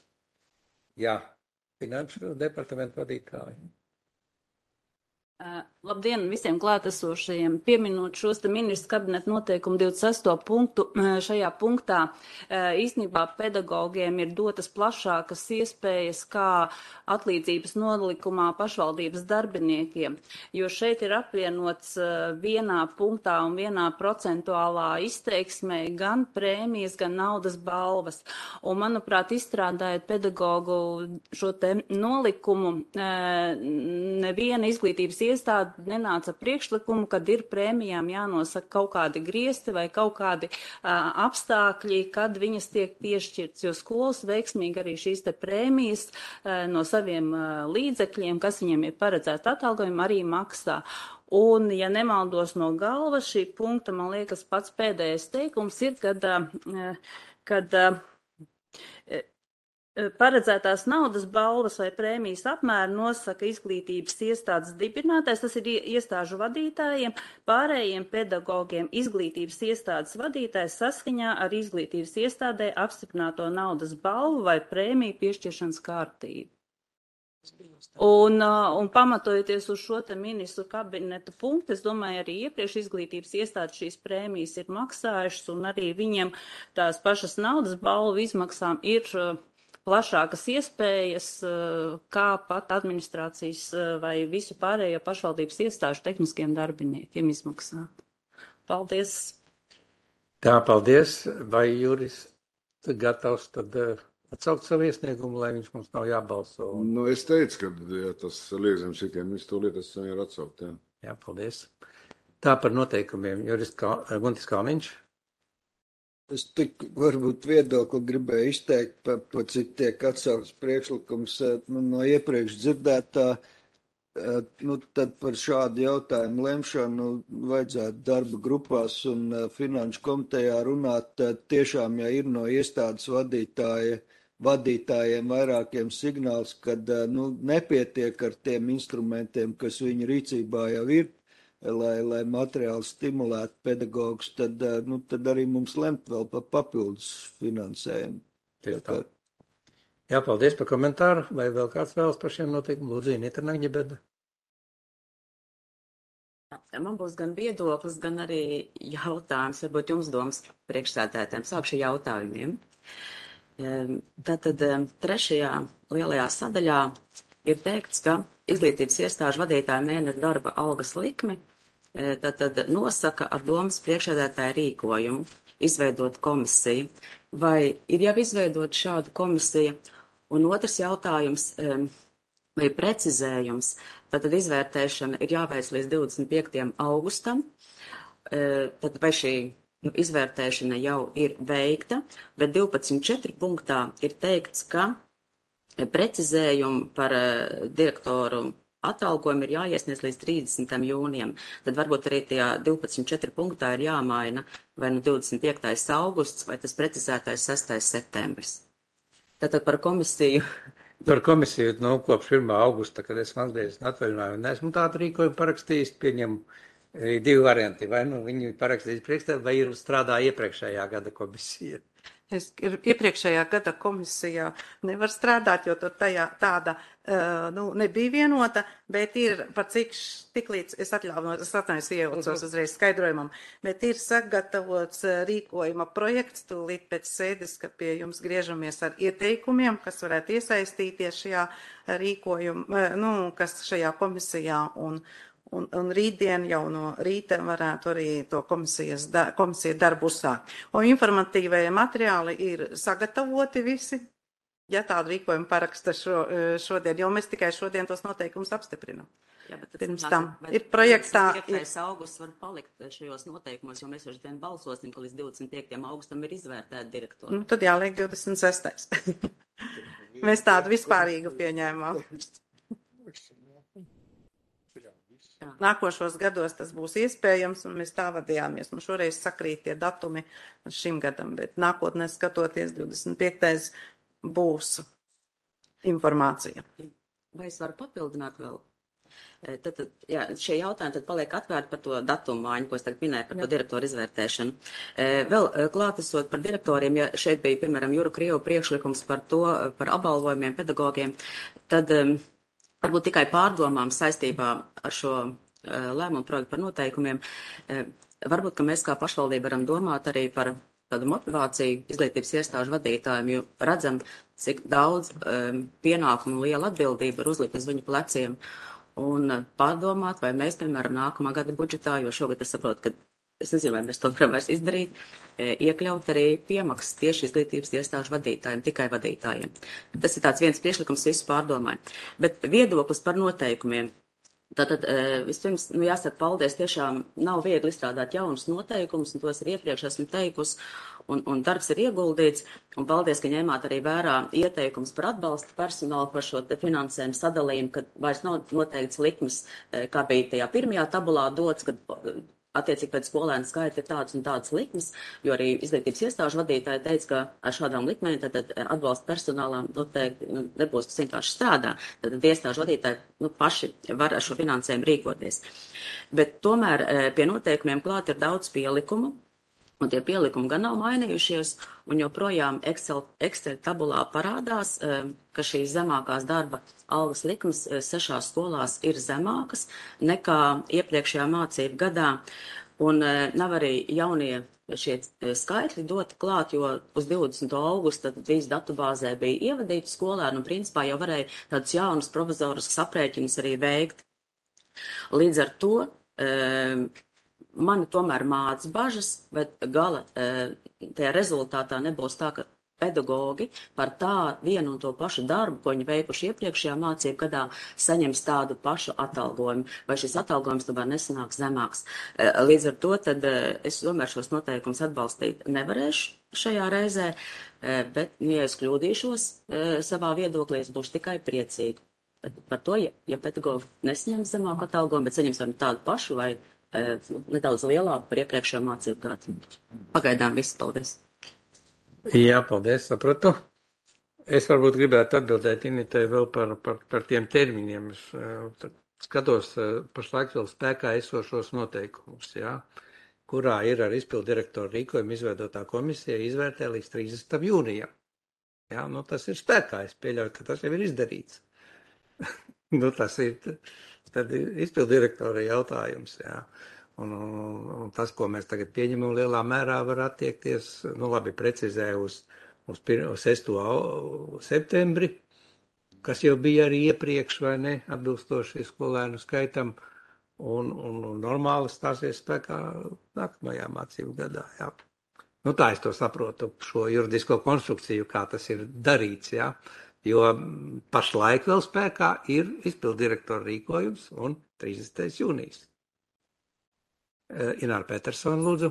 Jā. Finanšu departamentu vadītāji. Uh, labdien visiem klātesošajiem. Pieminot šos te ministru kabineta noteikumu divdesmit sesto punktu, uh, šajā punktā uh, īstenībā pedagogiem ir dotas plašākas iespējas kā atlīdzības nolikumā pašvaldības darbiniekiem, jo šeit ir apvienots uh, vienā punktā un vienā procentuālā izteiksmē gan prēmijas, gan naudas balvas. Un, manuprāt, izstrādājot pedagogu šo te nolikumu, uh, neviena izglītības iestāde nenāca priekšlikumu, kad ir prēmijām jānosaka kaut kādi griesti vai kaut kādi uh, apstākļi, kad viņas tiek piešķirts, jo skolas veiksmīgi arī šīs te prēmijas uh, no saviem uh, līdzekļiem, kas viņiem ir paredzēts atalgojumu, arī maksā. Un, ja nemaldos no galvas, šī punkta, man liekas, pats pēdējais teikums ir, kad, uh, kad uh, paredzētās naudas balvas vai prēmijas apmēru nosaka izglītības iestādes dibinātājs, tas ir iestāžu vadītājiem, pārējiem pedagogiem izglītības iestādes vadītājs saskaņā ar izglītības iestādē apstiprināto naudas balvu vai prēmiju piešķiršanas kārtību. Un, un pamatojoties uz šo te ministru kabineta punktu, es domāju, arī iepriekš izglītības iestādes šīs prēmijas ir maksājušas un arī viņiem tās pašas naudas balvu izmaksām ir plašākas iespējas, kā pat administrācijas vai visu pārējo pašvaldības iestāžu tehniskiem darbiniekiem izmaksāt. Paldies! Tā, paldies! Vai Juris gatavs tad atsaukt savu iesniegumu, lai viņš mums nav jābalso? Nu, es teicu, ka ja tas liek zem šitiem, viņš to lietas jau ir atsaukt, jā. Jā, paldies! Tā par noteikumiem. Juris Kā, Guntis Kalniņš. Es tik varbūt viedokli gribēju izteikt, pa, pa cik tiek atsaukts priekšlikums nu, no iepriekš dzirdētā. Nu, tad par šādu jautājumu lemšanu vajadzētu darba grupās un finanšu komitejā runāt. Tiešām, ja ir no iestādes vadītāja, vadītājiem vairākiem signāls, kad nu, nepietiek ar tiem instrumentiem, kas viņu rīcībā jau ir, lai, lai materiāli stimulētu pedagogus, tad, nu, tad arī mums lemt vēl par papildus finansējumu. Tieši tā. Jā, paldies par komentāru. Vai vēl kāds vēlas par šiem noteikumiem? Lūdzu, Inita Naņģebeda. Man būs gan viedoklis, gan arī jautājums, varbūt jums domas priekšsēdētājiem. Sākšu jautājumiem. Tātad trešajā lielajā sadaļā ir teikts, ka izglītības iestāžu vadītāja mēneša darba algas likmi tātad nosaka ar domas priekšsēdētāja rīkojumu izveidot komisiju. Vai ir jau izveidot šādu komisiju? Un otrs jautājums, vai precizējums, tātad izvērtēšana ir jāveic līdz divdesmit piektajam augustam, tad vai šī nu, izvērtēšana jau ir veikta, bet divpadsmit četri punktā ir teikts, ka precizējumu par direktoru atalgojumu ir jāiesniedz līdz trīsdesmitam jūnijam. Tad varbūt arī tajā divpadsmit četri punktā ir jāmaina vai nu divdesmit piektais augusts vai tas precizētais sestais septembris. Tātad par komisiju. Par komisiju, nu, kopš pirmā augusta, kad esmu atgriezies no atvaļinājuma, neesmu tādu rīkojumu parakstījis, pieņem divi varianti. Vai nu viņi parakstījis priekšstādā, vai ir strādā iepriekšējā gada komisija. Es iepriekšējā gada komisijā nevar strādāt, jo tur tajā tāda uh, nu, nebija vienota, bet ir par cik tik līdz, es atļauju, es atņēmu iejaucos uzreiz skaidrojumam, bet ir sagatavots rīkojuma projekts, tūlīt pēc sēdes, kad pie jums griežamies ar ieteikumiem, kas varētu iesaistīties šajā rīkojuma, nu, kas šajā komisijā un Un, un rītdien jau no rīta varētu arī to komisijas da, komisija darbu uzsākt. Un informatīvie materiāli ir sagatavoti visi, ja tādu rīkojumu paraksta šo, šodien, jo mēs tikai šodien tos noteikumus apstiprinam. Jā, bet pirms tam ir projektā. piektais augusts var palikt šajos noteikumos, jo mēs jau šodien balsosim, ka līdz divdesmit piektajam augustam ir izvērtēta direktora. Nu, tad jāliek divdesmit sestais Mēs tādu vispārīgu pieņēmām. Nākošos gados tas būs iespējams, un mēs tā vadījāmies. Nu, šoreiz sakrīt tie datumi šim gadam, bet nākotnē skatoties divdesmit piektais būs informācija. Vai es varu papildināt vēl? Tad, tad, jā, šie jautājumi tad paliek atvērti par to datumu māju, ko es tagad minēju par jā. To direktoru izvērtēšanu. Vēl klātesot par direktoriem, ja šeit bija, piemēram, Juru Krievu priekšlikums par to, par apbalvojumiem pedagogiem, tad varbūt tikai pārdomām saistībā ar šo uh, lēmumu projektu par noteikumiem. Uh, varbūt, ka mēs kā pašvaldība varam domāt arī par tādu motivāciju izglītības iestāžu vadītājiem, jo redzam, cik daudz um, pienākumu un liela atbildība ir uzlikt uz viņu pleciem. Un uh, pārdomāt, vai mēs, piemēram, nākamā gada budžetā, jo šogad es saprotu, ka es nezinu, vai mēs to varam vairs izdarīt, iekļaut arī piemaksas tieši izglītības iestāžu vadītājiem, tikai vadītājiem. Tas ir tāds viens priekšlikums, visu pārdomāju. Bet viedoklis par noteikumiem. Tātad vispirms, nu jāsaka, paldies, tiešām nav viegli izstrādāt jaunus noteikumus, un tos ir iepriekš esmu teikusi, un, un darbs ir ieguldīts, un paldies, ka ņēmāt arī vērā ieteikums par atbalstu personālu, par šo finansējumu sadalījumu, kad vairs nav noteikts likmes, kā bija tajā pirmajā tabulā dots, kad attiecīgi pēc skolēnu skaita ir tādas un tādas likmes, jo arī izglītības iestāžu vadītāji teica, ka ar šādām likmēm tad, tad atbalsta personālām noteikti nu, nebūs, kas vienkārši strādā. Tad, tad iestāžu vadītāji nu, paši var ar šo finansējumu rīkoties. Bet tomēr pie noteikumiem klāt ir daudz pielikumu, un tie pielikumi gan nav mainījušies, un joprojām Excel, Excel tabulā parādās, ka šīs zemākās darba algas likmes sešās skolās ir zemākas nekā iepriekšējā mācību gadā, un nav arī jaunie šie skaitļi doti klāt, jo uz divdesmito augusta visi datubāzē bija ievadīti skolēni, un principā jau varēja tādus jaunus provizoriskus aprēķinus arī veikt. Līdz ar to mani tomēr māc bažas, bet gala tajā rezultātā nebūs tā, ka pedagogi par tā vienu un to pašu darbu, ko viņi veikuši iepriekšējā mācību gadā, saņems tādu pašu atalgojumu, vai šis atalgojums tomēr nesanāks zemāks. Līdz ar to tad es tomēr šos noteikumus atbalstīt nevarēšu šajā reizē, bet, ja es kļūdīšos savā viedoklī, es būšu tikai priecīgi. Par to, ja, ja pedagogi nesņems zemāku atalgojumu, bet saņems vai tādu pašu vai nedaudz lielāku par iepriekšējo mācību gadu. Pagaidām viss, paldies. Jā, paldies, sapratu. Es varbūt gribētu atbildēt Initei vēl par, par, par tiem termiņiem. Es uh, skatos uh, pašlaik vēl spēkā esošos noteikumus, jā, kurā ir ar izpildu direktoru rīkojumu izveidotā komisija izvērtē līdz trīsdesmitam jūnijam. Jā, nu tas ir spēkā, es pieļauju, ka tas jau ir izdarīts. nu tas ir, tad ir izpildu direktora jautājums, jā. Un, un, un tas, ko mēs tagad pieņemam, lielā mērā var attiekties, nu labi, precizē uz, uz, uz sesto septembri, kas jau bija arī iepriekš, vai ne, atbilstoši skolēnu skaitam, un, un, un normāli stāsies spēkā nākamajā mācību gadā, jā. Nu tā es to saprotu, šo juridisko konstrukciju, kā tas ir darīts, jā, jo pašlaik vēl spēkā ir izpildu direktora rīkojums un trīsdesmitais jūnijas. Ināra Petersona, lūdzu.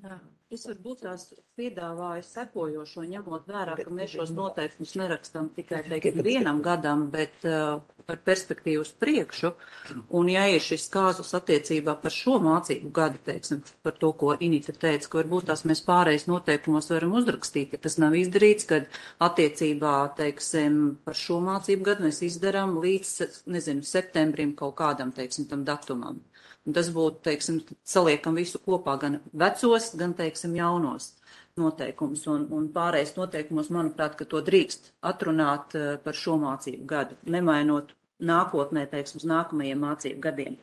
Jā, es varbūt tās piedāvāju sekojošo, ņemot vērā, ka mēs šos noteikumus nerakstam tikai teikti vienam gadam, bet uh, par perspektīvu uz priekšu. Un ja ir šis kāzus attiecībā par šo mācību gadu, teiksim, par to, ko Inita teica, ka varbūt tās mēs pārējais noteikumos varam uzrakstīt, ka tas nav izdarīts, kad attiecībā, teiksim, par šo mācību gadu mēs izdarām līdz, nezinu, septembrim kaut kādam, teiksim, tam datumam. Un tas būtu, teiksim, saliekam visu kopā, gan vecos, gan, teiksim, jaunos noteikumus. Un, un pārējais noteikumos, manuprāt, ka to drīkst atrunāt uh, par šo mācību gadu, nemainot nākotnē, teiksim, uz nākamajiem mācību gadiem.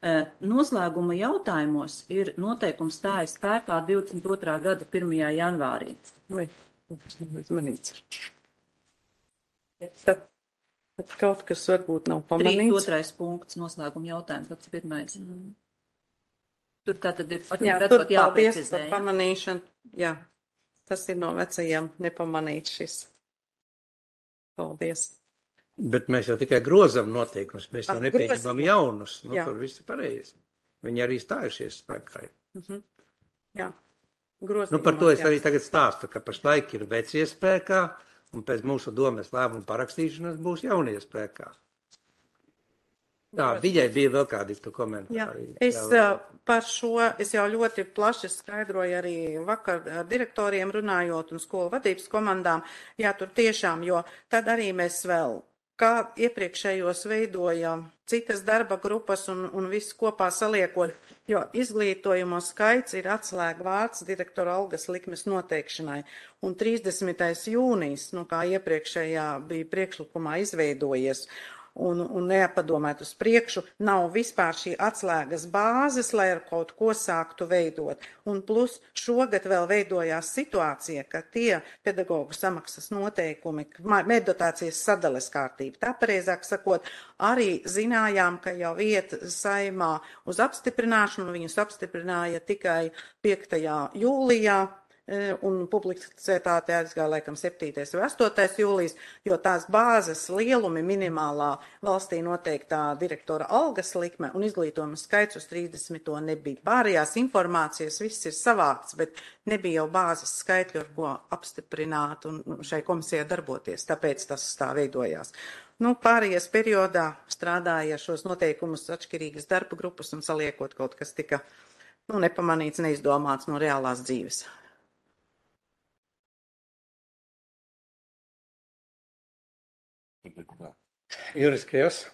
Uh, noslēguma jautājumos ir noteikums stājas spēkā divdesmit otrā gada pirmajā janvārī. Vai, tas nav izmanīts. Tad Bet kaut kas varbūt nav pamanīts. trīsdesmit otrais punkts, noslēguma jautājums, pats pirmais. Mm. Tur tā tad ir, jā, redzot, tur paldies par pamanīšanu. Jā, tas ir no vecajiem nepamanīts šis. Paldies. Bet mēs jau tikai grozam noteikumus, mēs jau nepieņemam jaunus. Nu, jā. Tur viss ir pareizi. Viņi arī stājušies spēkā. Mhm. Jā. Grozījumos, nu, par to es jā. arī tagad stāstu, ka pašlaik ir vecie spēkā, un pēc mūsu domes lēmuma parakstīšanas būs jaunie spēkā. Tā, viņai bija vēl kādi komentāri. Jā, es uh, par šo, es jau ļoti plaši skaidroju arī vakar ar direktoriem runājot un skolu vadības komandām. Jā, tur tiešām, jo tad arī mēs vēl, kā iepriekšējos veidojam citas darba grupas un, un visu kopā saliekot, jo izglītojumu skaits ir atslēga vārds direktora algas likmes noteikšanai. Un trīsdesmitais jūnijas, nu kā iepriekšējā bija priekšlikumā izveidojies, un, un neapadomēt uz priekšu, nav vispār šī atslēgas bāzes, lai ar kaut ko sāktu veidot. Un plus šogad vēl veidojās situācija, ka tie pedagoģu samaksas noteikumi, meddotācijas sadales kārtība, tā pareizāk sakot, arī zinājām, ka jau iet saimā uz apstiprināšanu, viņus apstiprināja tikai piektajā jūlijā, un publicitāte aizgāja laikam septītais vai astotais jūlijas, jo tās bāzes lielumi minimālā valstī noteiktā direktora algas likme un izglītojuma skaits uz trīsdesmito nebija. Pārējās informācijas viss ir savākts, bet nebija jau bāzes skaitļu, ar ko apstiprināt un šai komisijai darboties, tāpēc tas tā veidojās. Nu, pārējais periodā strādāja šos noteikumus atšķirīgas darba grupas un saliekot kaut kas tika nu, nepamanīts, neizdomāts no reālās dzīves. Juriskajos.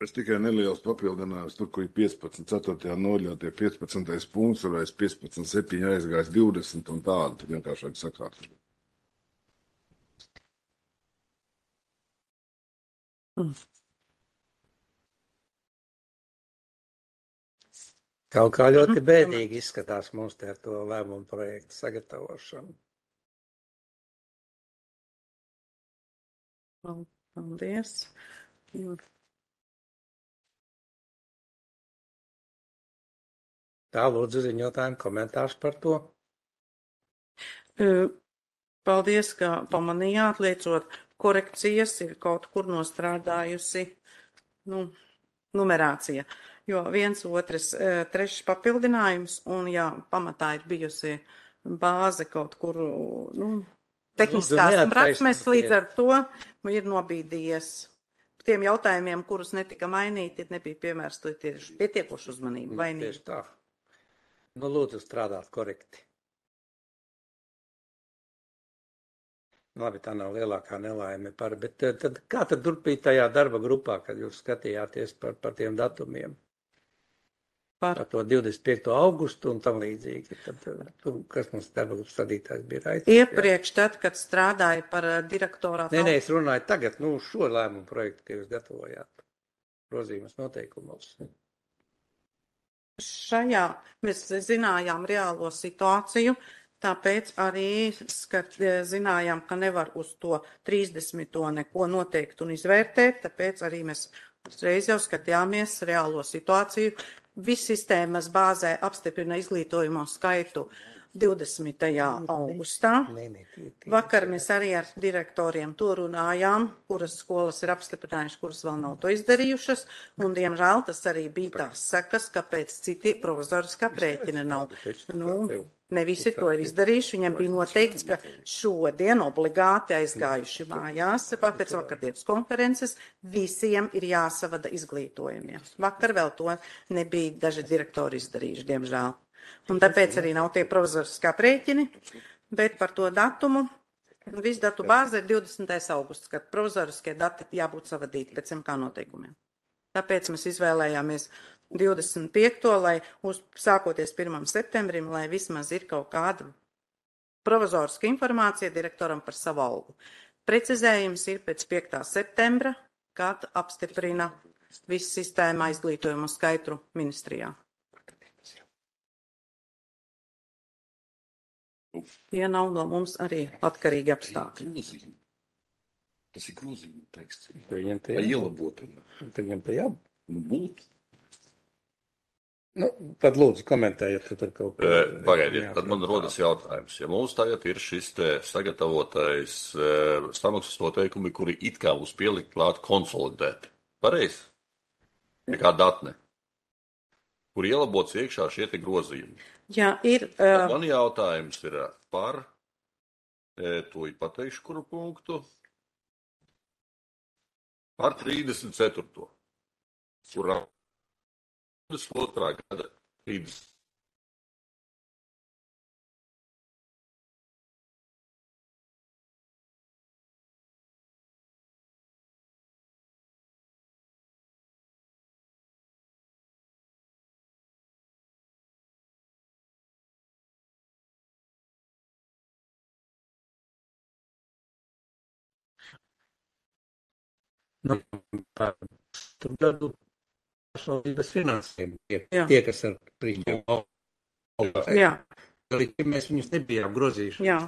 Es tikai neliels papildinājums, tur, kur ir piecpadsmit, ceturtajā noļā, tie piecpadsmitais punkts, varēs piecpadsmit, septiņi aizgājis divdesmit un tādu, tad vienkāršāk sakāt. Mm. Kaut kā ļoti bēdīgi izskatās mums te ar to lēmumu projektu sagatavošanu. Paldies. Tā lūdzu ziņotājiem komentārs par to. Paldies, ka pamanījāt, liecot korekcijas ir kaut kur nostrādājusi nu, numerācija. Jo viens, otrs, trešs papildinājums un jā, pamatā ir bijusi bāze kaut kur, nu, tehniskās prasmes, līdz ar to ir nobīdījies tiem jautājumiem, kurus netika mainīti, nebija piemērsta pietiekoši uzmanība. Vainība. Tieši tā. Nu, lūdzu strādāt korekti. Labi, tā nav lielākā nelaime par, bet tad, kā tad turpīt tajā darba grupā, kad jūs skatījāties par, par tiem datumiem? Par, par to divdesmit piekto augustu un tam līdzīgi. Tad, tu, kas mums darba grupas sadītājs bija Raitis? Iepriekš, tad, kad strādāja par direktorātu. Nē, nē, es runāju tagad, nu, šo lēmumu projektu, ka jūs gatavojāt grozījumus noteikumos. Šajā mēs zinājām reālo situāciju, tāpēc arī skat, zinājām, ka nevar uz to trīsdesmito neko noteikt un izvērtēt, tāpēc arī mēs uzreiz jau skatījāmies reālo situāciju. Viss sistēmas bāzē apstiprina izglītojumu skaitu divdesmitajā augustā. Vakar mēs arī ar direktoriem to runājām, kuras skolas ir apstiprinājušas, kuras vēl nav to izdarījušas, un diemžēl tas arī bija tās sekas, kāpēc citi provizoriskā aprēķina nav. Nu, ne visi to ir izdarījuši, viņiem bija noteikts, ka šodien obligāti aizgājuši mājās, pēc vakardienas konferences, visiem ir jāsavada izglītojumiem. Vakar vēl to nebija daži direktori izdarījuši, diemžēl. Un tāpēc arī nav tie provizoriskā aprēķini, bet par to datumu, visu datu bāze ir divdesmitais augusts, kad provizoriskie dati jābūt savadīti pēc M K noteikumiem. Tāpēc mēs izvēlējāmies divdesmit piekto, lai uz, sākoties pirmam septembrim, lai vismaz ir kaut kāda provizoriska informācija direktoram par savu algu. Precizējums ir pēc piektā septembra, kad apstiprina visu sistēmā izglītojumu skaitu ministrijā. Tie nav no mums arī atkarīgi apstākļi. Tas ir grozījuma teksts. Viņam te ielabot. Viņam te jābūt. Nu, būt. Nu, tad lūdzu komentējiet. Tad kaut ko. Pagaidiet, tad man rodas jautājums. Ja mums tagad ir šis te sagatavotais samaksas noteikumi, kuri it kā būs pielikt klāt konsolidēti. Pareizi? Nekā datne. Kur ielabots iekšā šie te grozījumi. Jā, ir. Uh... Man jautājums ir par, e, to ir pateikšu, kuru punktu, par trīsdesmit ceturto kurā divdesmit otrā gada trīsdesmit. Nu, par gadu pašvaldības finansēm. Tie, tie kas ar rīkiem. Jā. Mēs viņus nebijām grozījuši. Jā.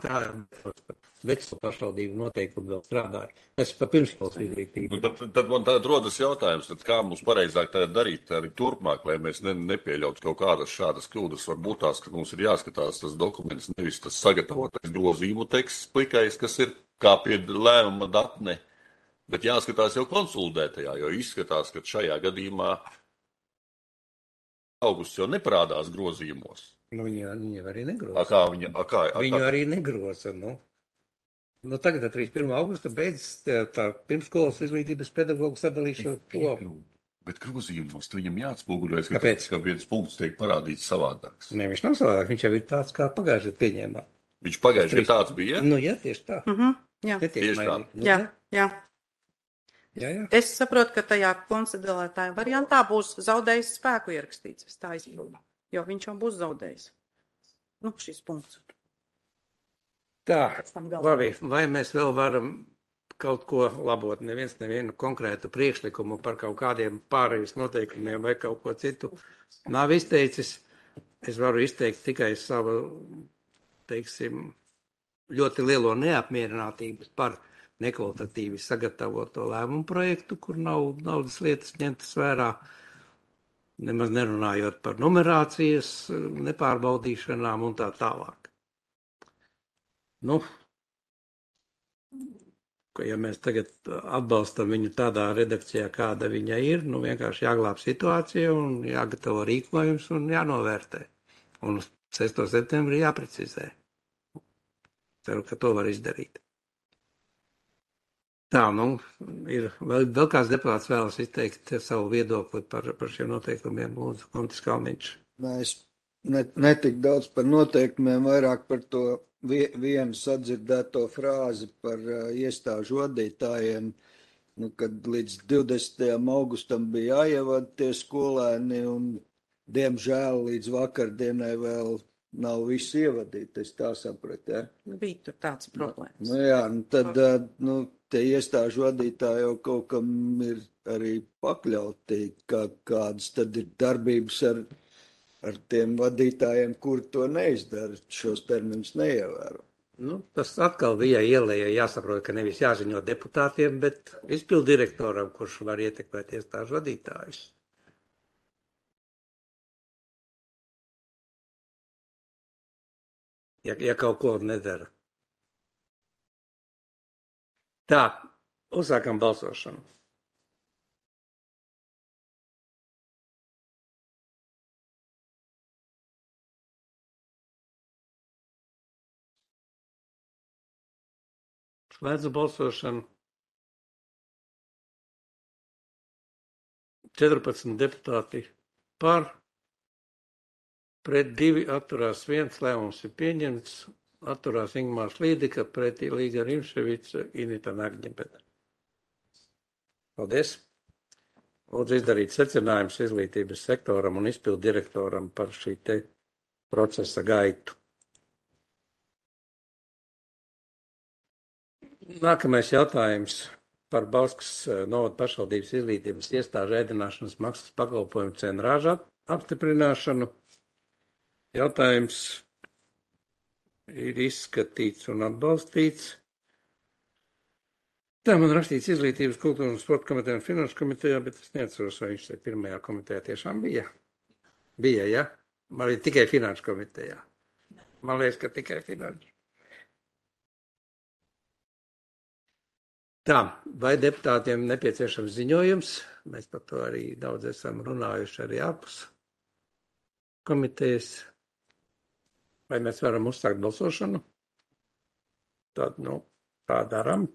Veco pašvaldību noteikumi vēl strādāja. Mēs pa pirmskolas izglītību. Nu, tad, tad man tāda rodas jautājums, tad kā mums pareizāk tagad darīt arī turpmāk, lai mēs ne, nepieļautu kaut kādas šādas kļūdas. Varbūt tās, ka mums ir jāskatās tas dokuments, nevis tas sagatavotais grozījumu teksts plikais, kas ir kā pie lēmuma datne. Bet jāskatās jau konsolidētajā, jo izskatās, ka šajā gadījumā augusts jau neparādās grozījumos. Nu, viņi, viņi arī negroza. A kā viņa, a kā, a kā? Viņu arī negroza, nu. Nu, tagad trīsdesmit pirmā augusta beidzas tā, tā pirmskolas izglītības pedagogu sadalīšana. Bet grozījumos viņam jāatspoguļojas, ka, Kāpēc? ka viens punkts tiek parādīts savādāks. Ne, viņš nav savādāk, viņš jau ir tāds, kā pagājušajā pieņēmā. Viņš pagājušajā tāds bija? Nu, jā, tieši tā. Mhm, jā. Tieši tā. Nu, Jā, jā. Jā, jā. Es saprotu, ka tajā konsolidētāja variantā būs zaudējis spēku ierakstīts. Es tā izpildu, jo viņš jau būs zaudējis. Nu, šis punkts. Tā, labi, vai mēs vēl varam kaut ko labot? Neviens nevienu konkrētu priekšlikumu par kaut kādiem pārējais noteikumiem vai kaut ko citu nav izteicis. Es varu izteikt tikai savu, teiksim, ļoti lielo neapmierinātību par nekvalitatīvi sagatavoto lēmumu projektu, kur nav naudas lietas ņemtas vērā. nemaz nerunājot par numerācijas nepārbaudīšanām un tā tālāk. Nu, ka ja mēs tagad atbalstam viņu tādā redakcijā, kāda viņa ir, nu vienkārši jāglāb situācija un jāgatavo rīkojums un jānovērtē. Un sestā septembrī jāprecizē. Ceru, ka to var izdarīt. Tā, nu, ir vēl, vēl kāds deputāts vēlas izteikt savu viedokli par, par šiem noteikumiem, lūdzu, Kontis Kalniņš. Mēs ne, netik daudz par noteikumiem, vairāk par to vie, vienu sadzirdēto frāzi par uh, iestāžu vadītājiem, nu, kad līdz divdesmitajam augustam bija jāievada tie skolēni un, diemžēl, līdz vakardienai vēl nav visi ievadīti, es tā sapratu, ja? Bija tur tāds problēmas. Nu jā, nu tad, uh, nu, tie iestāžu vadītāji jau kaut kam ir arī pakļauti, kā, kādas tad ir darbības ar ar tiem vadītājiem, kur to neizdara, šos terminus neievēro. Nu, tas atkal bija ielēja jāsaprot, ka nevis jāziņo deputātiem, bet izpildu direktoram, kurš var ietekmēt iestāžu vadītājus. Ja, ja kaut ko nedara. Tā, uzsākam balsošanu. Slēdzu balsošanu. četrpadsmit deputāti par, pret divi atturās viens, lēmums ir pieņemts, atturās Ingmārs Līdika, pretī Līga Rimševica, Inita Nagņepeta. Paldies. Lūdzu izdarīt secinājums izglītības sektoram un izpildu direktoram par šī te procesa gaitu. Nākamais jautājums par Bauskas novada pašvaldības izglītības iestāžu ēdināšanas maksas pakalpojumu cenu rāžu apstiprināšanu. Jautājums ir izskatīts un atbalstīts. Tā man rakstīts izglītības, kultūras un sporta komitejā un finanšu komitejā, bet es neatceros, vai viņš te pirmajā komitejā tiešām bija. Bija, ja? Man ir tikai finanšu komitejā. Man liekas, ka tikai finanšu. Tā, vai deputātiem nepieciešams ziņojums? Mēs par to arī daudz esam runājuši arī ārpus komitejas. Vai mēs varam uzsākt balsošanu? Tad, nu, tā darām.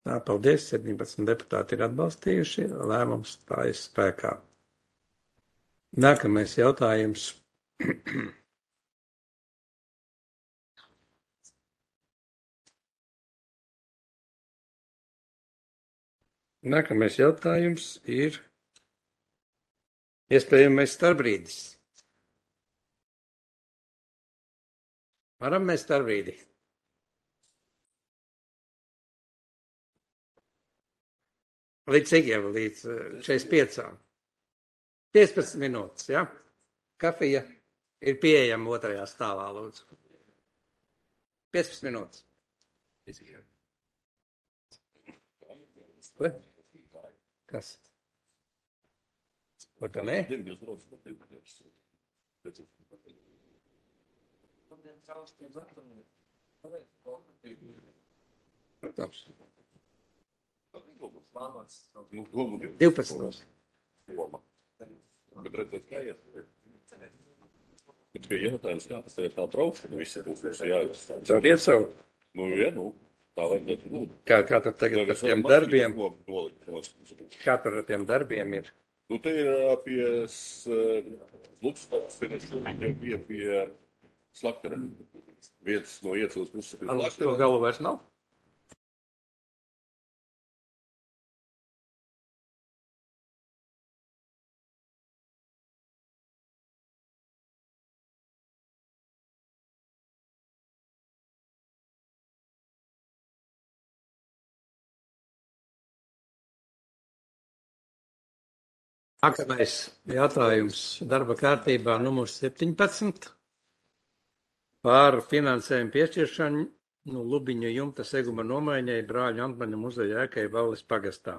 Tā, paldies, septiņpadsmit deputāti ir atbalstījuši, lēmums stājas spēkā. Nākamais jautājums. Nākamais jautājums ir iespējamais starpbrīdis. Varam mēs starpbrīdi? Līdz cik līdz četrdesmit piecām? piecpadsmit minūtes, ja? Kafija ir pieejama otrajā stāvā, lūdzu. piecpadsmit minūtes. Ko? Kas? Vai tā ne? divpadsmit. Bet redzēt, kā iet. Bet bija jautājums, kā tas ir tā braukšana, visi būs jāiet. Caur iet savu? Nu, ja, nu, tā vajadzētu būt. Kā, kā tad tagad ar tiem darbiem? Kā tur ar tiem darbiem ir? Nu, te ir pie Lukstās, jau bija pie Slakara. Vietas no iecils puses pie Slakara. To galu vairs nav? Nākamais jautājums darba kārtībā numurs septiņpadsmit. par finansējumu piešķiršanu nu, Lubiņu jumta seguma nomaiņai Brāļu Antmaņa muzeja ēkai Valles pagastā.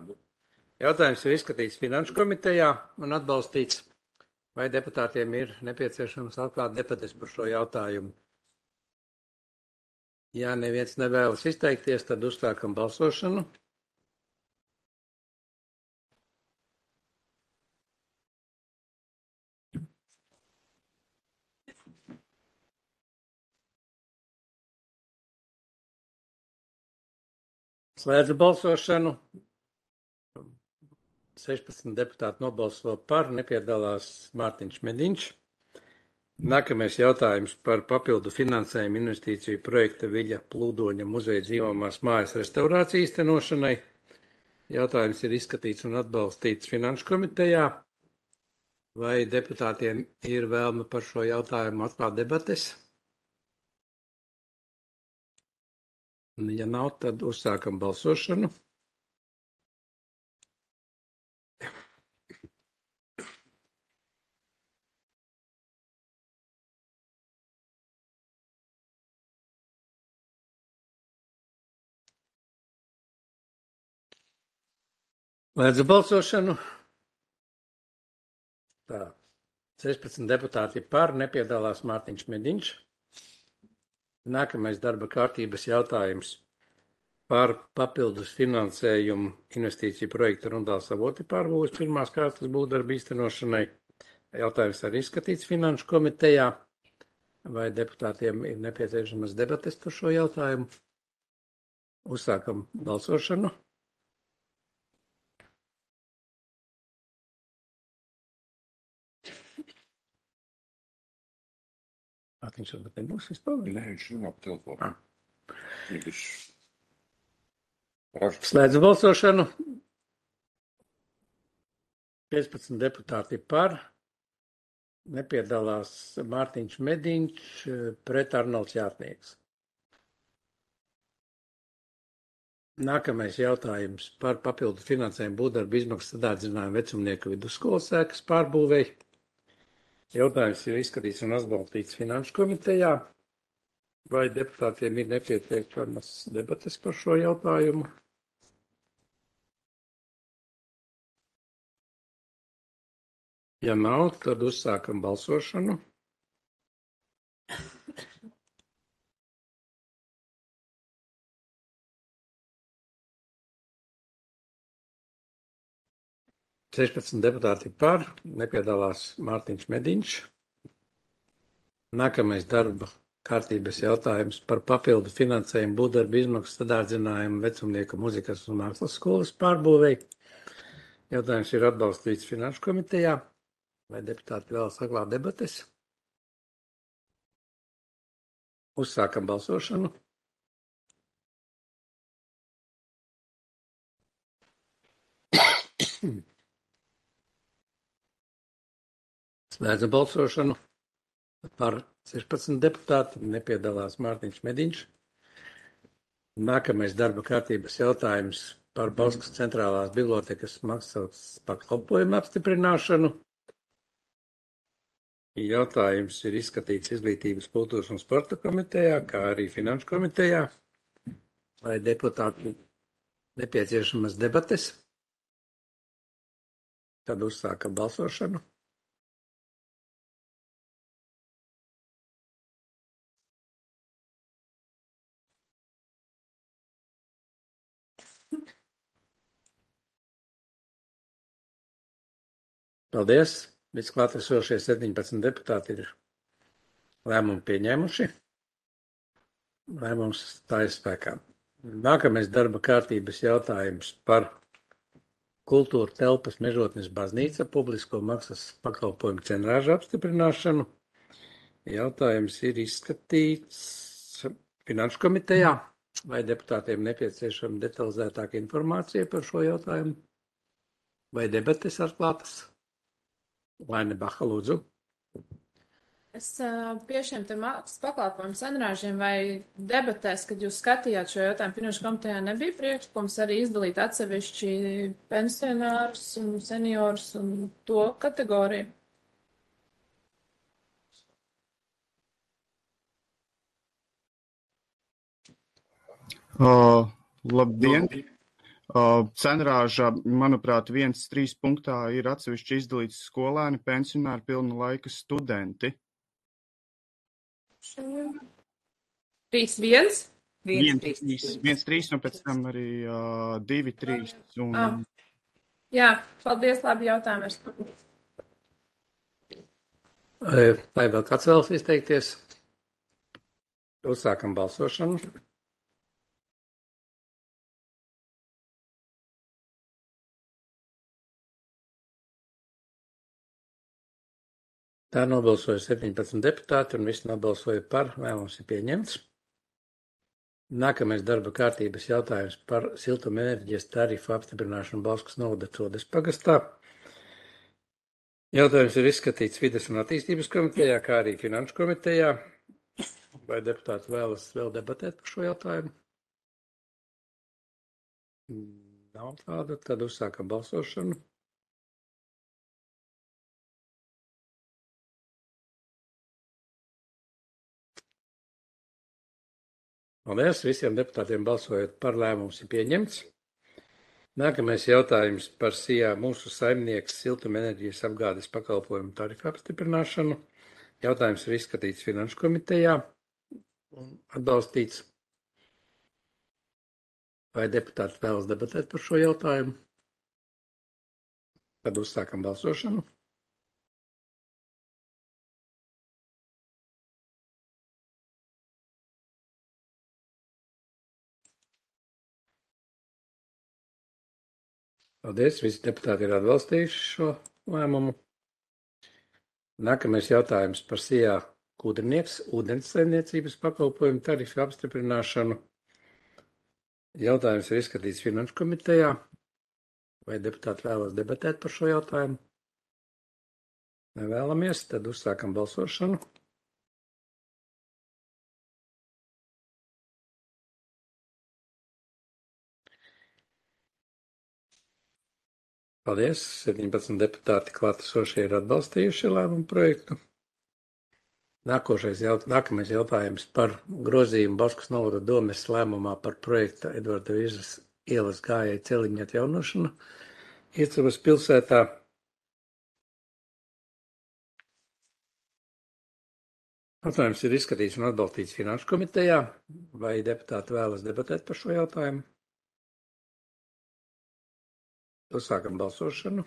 Jautājums ir izskatīts Finanšu komitejā un atbalstīts. Vai deputātiem ir nepieciešams atklāt debates par šo jautājumu? Ja neviens nevēlas izteikties, tad uzsākam balsošanu. Slēdzu balsošanu. sešpadsmit deputāti nobalso par, nepiedalās Mārtiņš Mediņš. Nākamais jautājums par papildu finansējumu investīciju projekta Viļa Plūdoņa muzeja dzīvojamās mājas restaurāciju īstenošanai. Jautājums ir izskatīts un atbalstīts Finanšu komitejā. Vai deputātiem ir vēlme par šo jautājumu atklāt debates? Ja nav, tad uzsākam balsošanu. Slēdzu balsošanu. Tā, sešpadsmit deputāti par, nepiedalās Mārtiņš Mediņš. Nākamais darba kārtības jautājums par papildus finansējumu investīciju projektu Rundāls avoti pārbūves pirmās kārtas būvdarbu īstenošanai. Jautājums arī izskatīts Finanšu komitejā. Vai deputātiem ir nepieciešamas debates par šo jautājumu? Uzsākam balsošanu. Viņš varbūt nebūs vispār? Nē, viņš runā pa telefonu. Viņš... Slēdzu balsošanu. piecpadsmit deputāti par. Nepiedalās Mārtiņš Mediņš, pret Arnolds Jātnieks. Nākamais jautājums par papildu finansējumu būvdarbu izmaksu sadārdzinājumu vecumnieku vidusskolas ēkas pārbūvēi. Jautājums ir izskatīts un atbalstīts Finanšu komitejā. Vai deputātiem ir nepieciešamas debates par šo jautājumu? Ja nav, tad uzsākam balsošanu. sešpadsmit deputāti par, nepiedalās Mārtiņš Mediņš. Nākamais darba kārtības jautājums par papildu finansējumu būvdarbu izmaksu sadārdzinājumu vecumnieku muzikas un mākslas skolas pārbūvei. Jautājums ir atbalstīts Finanšu komitejā. Vai deputāti vēl saglāt debates? Uzsākam balsošanu. Slēdzu balsošanu. Par sešpadsmit deputāti nepiedalās Mārtiņš Mediņš. Nākamais darba kārtības jautājums par Bauskas centrālās bibliotekas maksas pakalpojumu apstiprināšanu. Jautājums ir izskatīts Izglītības, kultūras un sporta komitejā, kā arī Finanšu komitejā. Vai deputāti nepieciešamas debates? Tad uzsāka balsošanu. Paldies! Visi klātesošie septiņpadsmit deputāti ir lēmumu pieņēmuši. Lēmums stājas spēkā. Nākamais darba kārtības jautājums par kultūra telpas Mežotnes baznīca publisko maksas pakalpojumu cenrāžu apstiprināšanu. Jautājums ir izskatīts Finanšu komitejā. Vai deputātiem nepieciešama detalizētāka informācija par šo jautājumu? Vai debates atklātas? Laine Baha, lūdzu. Es pie šiem te maksas pakalpojumu cenrāžiem vai debatēs, kad jūs skatījāt šo jautājumu, Finanšu komitejā nebija priekšlikums arī izdalīt atsevišķi pensionārus un seniorus un to kategoriju? Uh, labdien! Uh, cenrāža, manuprāt, viens trīs punktā ir atsevišķi izdalīts skolēni, pensionāri, pilna laika studenti. Trīs viens? Viens trīs, viens trīs, un pēc tam arī uh, divi trīs. Un... Ah. Jā, paldies, labi jautājums. Vai vēl kāds vēlas izteikties? Uzsākam balsošanu. Tā nobalsoja septiņpadsmit deputāti un visi nobalsoja par. Lēmums ir pieņemts. Nākamais darba kārtības jautājums par siltumenerģijas tarifu apstiprināšanu Bauskas novada Codes pagastā. Jautājums ir izskatīts Vides un attīstības komitejā, kā arī Finanšu komitejā. Vai deputāti vēlas vēl debatēt par šo jautājumu? Nav tāda, tad uzsākam balsošanu. Paldies, visiem deputātiem balsojot par, lēmums ir pieņemts. Nākamais jautājums par S I A mūsu saimnieks siltumenerģijas apgādes pakalpojumu tarifu apstiprināšanu. Jautājums ir izskatīts Finanšu komitejā un atbalstīts. Vai deputāti vēlas debatēt par šo jautājumu? Tad uzsākam balsošanu. Paldies, visi deputāti ir atbalstījuši šo lēmumu. Nākamais jautājums par S I A Kūdrnieks ūdenssaimniecības pakalpojumu tarifu apstiprināšanu. Jautājums ir izskatīts Finanšu komitejā. Vai deputāti vēlas debatēt par šo jautājumu? Nevēlamies, tad uzsākam balsošanu. Paldies, septiņpadsmit deputāti klātesošie ir atbalstījuši lēmumu projektu. Nākošais jaut, nākamais jautājums par grozījumu Bauskas novada domes lēmumā par projekta Edvarda Vīzas ielas gājēju celiņu atjaunošanu Iecavas pilsētā. Jautājums ir izskatīts un atbalstīts Finanšu komitejā. Vai deputāti vēlas debatēt par šo jautājumu? Uzsākam balsošanu.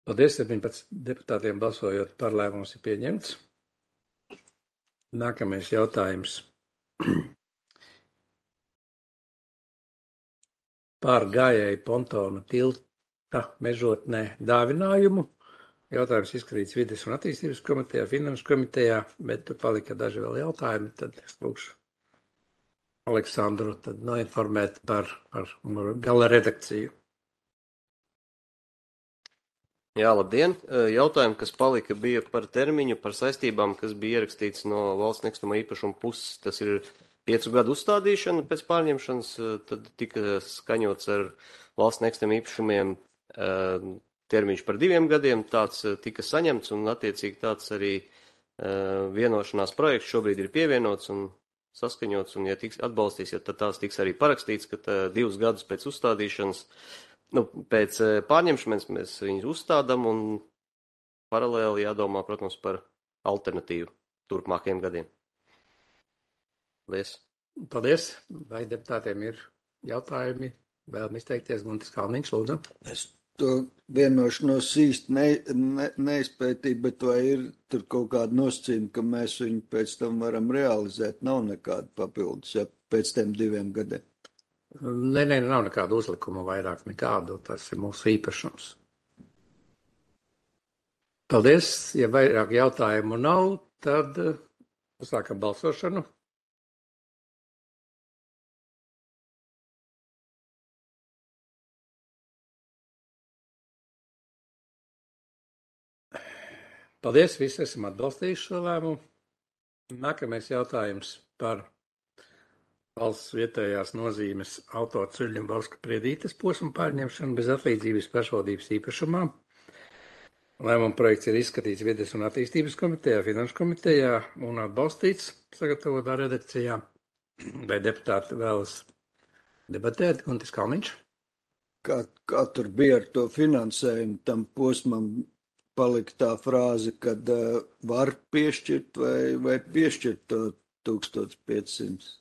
Paldies, septiņpadsmit deputātiem balsojot par, lēmums ir pieņemts. Nākamais jautājums par gājēju pontona tilta mežotnē dāvinājumu. Jautājums izskatīts Vides un attīstības komitejā, Finanšu komitejā, bet tur palika daži vēl jautājumi, tad es lūkšu Aleksandru tad noinformēt par, par gala redakciju. Jā, labdien! Jautājumi, kas palika, bija par termiņu, par saistībām, kas bija ierakstīts no valsts nekustamā īpašuma puses. Tas ir piecu gadu uzstādīšana pēc pārņemšanas, tad tika skaņots ar valsts nekustamiem īpašumiem termiņš par diviem gadiem, tāds tika saņemts un attiecīgi tāds arī uh, vienošanās projekts šobrīd ir pievienots un saskaņots, un ja tiks atbalstīts, ja tad tās tiks arī parakstīts, ka tā, divus gadus pēc uzstādīšanas, nu, pēc uh, pārņemšanas mēs viņus uzstādam un paralēli jādomā, protams, par alternatīvu turpmākajiem gadiem. Paldies! Paldies! Vai deputātiem ir jautājumi? Vēlam izteikties, Guntis Kalniņš, lūdzu. Es to vienošanos īsti ne, ne, neizpētīju, bet vai ir tur kaut kāda nosacījuma, ka mēs viņu pēc tam varam realizēt? Nav nekāda papildus, ja pēc tiem diviem gadiem. Nē, nē, nav nekāda uzlikuma vairāk nekādu, tas ir mūsu īpašums. Paldies, ja vairāk jautājumu nav, tad uzsākam balsošanu. Paldies, visi esam atbalstījuši šo lēmumu. Nākamais jautājums par valsts vietējās nozīmes autoceļu Bauska Priedītes posmu pārņemšanu bez atlīdzības pašvaldības īpašumā. Lēmuma projekts ir izskatīts Vides un attīstības komitejā, Finanšu komitejā un atbalstīts sagatavotā redakcijā. Vai deputāti vēlas debatēt? Guntis Kalniņš. Kā, kā tur bija ar to finansējumu, tam posmam palika tā frāze, kad uh, var piešķirt vai, vai piešķirt to tūkstoš piecsimt.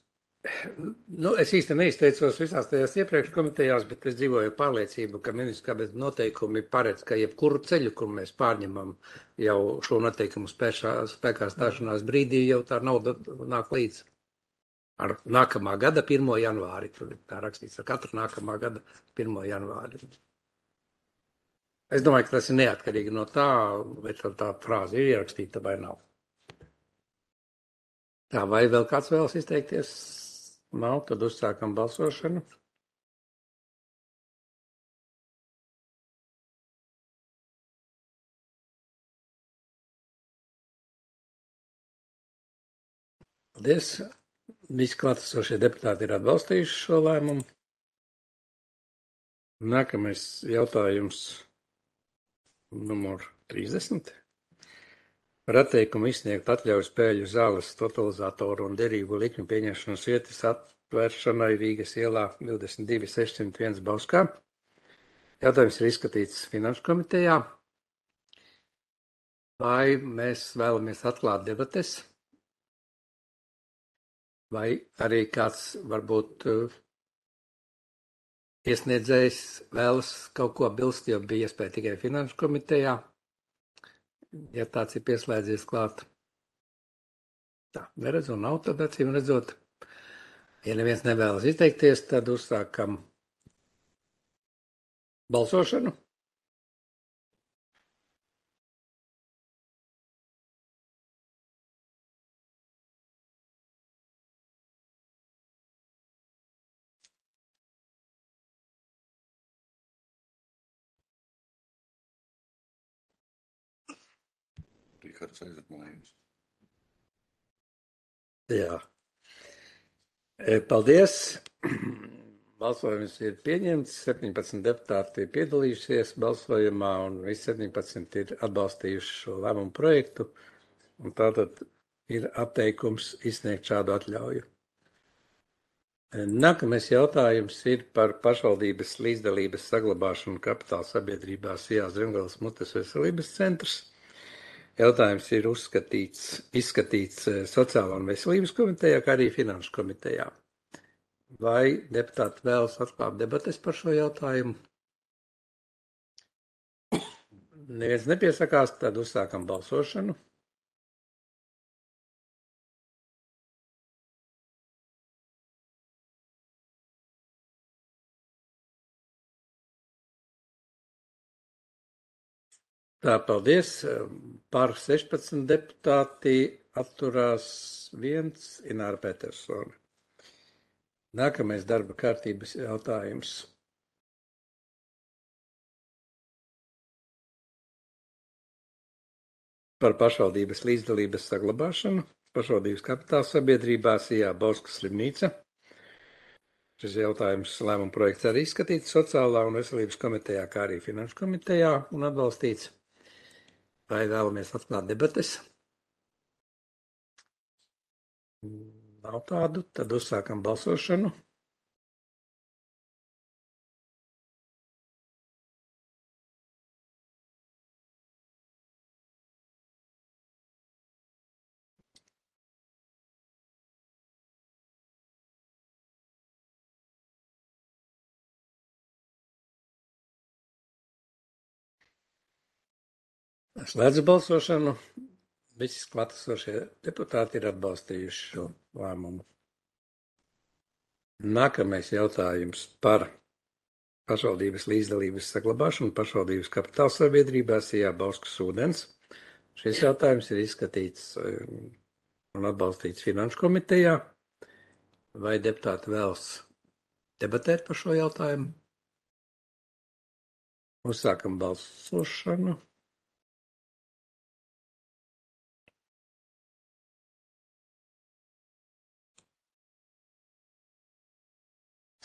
Nu, es īsti neizteicos visās tajās iepriekš komitejās, bet es dzīvoju pārliecību, ka ministrs kabineta noteikumi paredz, ka jebkuru ceļu, kur mēs pārņemam jau šo noteikumu spēšā, spēkā stāšanās brīdī, jau tā nauda nāk līdz ar nākamā gada pirmo janvāri. Tur ir tā rakstīts ar katru nākamā gada pirmo janvāri. Es domāju, ka tas ir neatkarīgi no tā, vai tā, tā frāze ir ierakstīta vai nav. Tā, vai vēl kāds vēlas izteikties? Nav, tad uzsākam balsošanu. Paldies. Visi klātesošie deputāti ir atbalstījuši šo lēmumu. Nākamais jautājums numur trīsdesmit. Par atteikumu izsniegt atļauju spēļu zāles, totalizatoru un derīgu likmi pieņemšanas vietas atvēršanai Rīgas ielā divdesmit divi sešsimt viens Bauskā. Jautājums ir izskatīts Finanšu komitejā. Vai mēs vēlamies atklāt debates? Vai arī kāds varbūt uh, iesniedzējs vēlas kaut ko bilst, jo bija iespēja tikai Finanšu komitejā? Ja tāds ir pieslēdzies klāt. Tā, neredzu, un nav tad acīm redzot. Ja neviens nevēlas izteikties, tad uzsākam balsošanu. Rihards aiziet mājās. Jā. Paldies. Balsojums ir pieņemts. septiņpadsmit deputāti ir piedalījušies balsojumā un visi septiņpadsmit ir atbalstījuši šo lēmumu projektu. Un tātad ir atteikums izsniegt šādu atļauju. Nākamais jautājums ir par pašvaldības līdzdalības saglabāšanu kapitāla sabiedrībā Sijā Zemgales mutes veselības centrs. Jautājums ir uzskatīts, izskatīts Sociālā un veselības komitejā, kā arī Finanšu komitejā. Vai deputāti vēlas atklāt debates par šo jautājumu? Neviens nepiesakās, tad uzsākam balsošanu. Tā, paldies. Par sešpadsmit deputāti atturās viens Ināra Petersone. Nākamais darba kārtības jautājums. Par pašvaldības līdzdalības saglabāšanu. Pašvaldības kapitāla sabiedrībā Sijā Bauskas slimnīca. Šis jautājums lēmuma projekts arī izskatīts Sociālā un veselības komitejā, kā arī Finanšu komitejā un atbalstīts. Vai vēlamies atklāt debates? Nav tādu, tad uzsākam balsošanu. Slēdzu balsošanu. Visi klātesošie deputāti ir atbalstījuši šo lēmumu. Nākamais jautājums par pašvaldības līdzdalības saglabāšanu pašvaldības kapitāla sabiedrībā Sijā Bauskas ūdens. Šis jautājums ir izskatīts un atbalstīts Finanšu komitejā. Vai deputāti vēlas debatēt par šo jautājumu? Uzsākam balsošanu.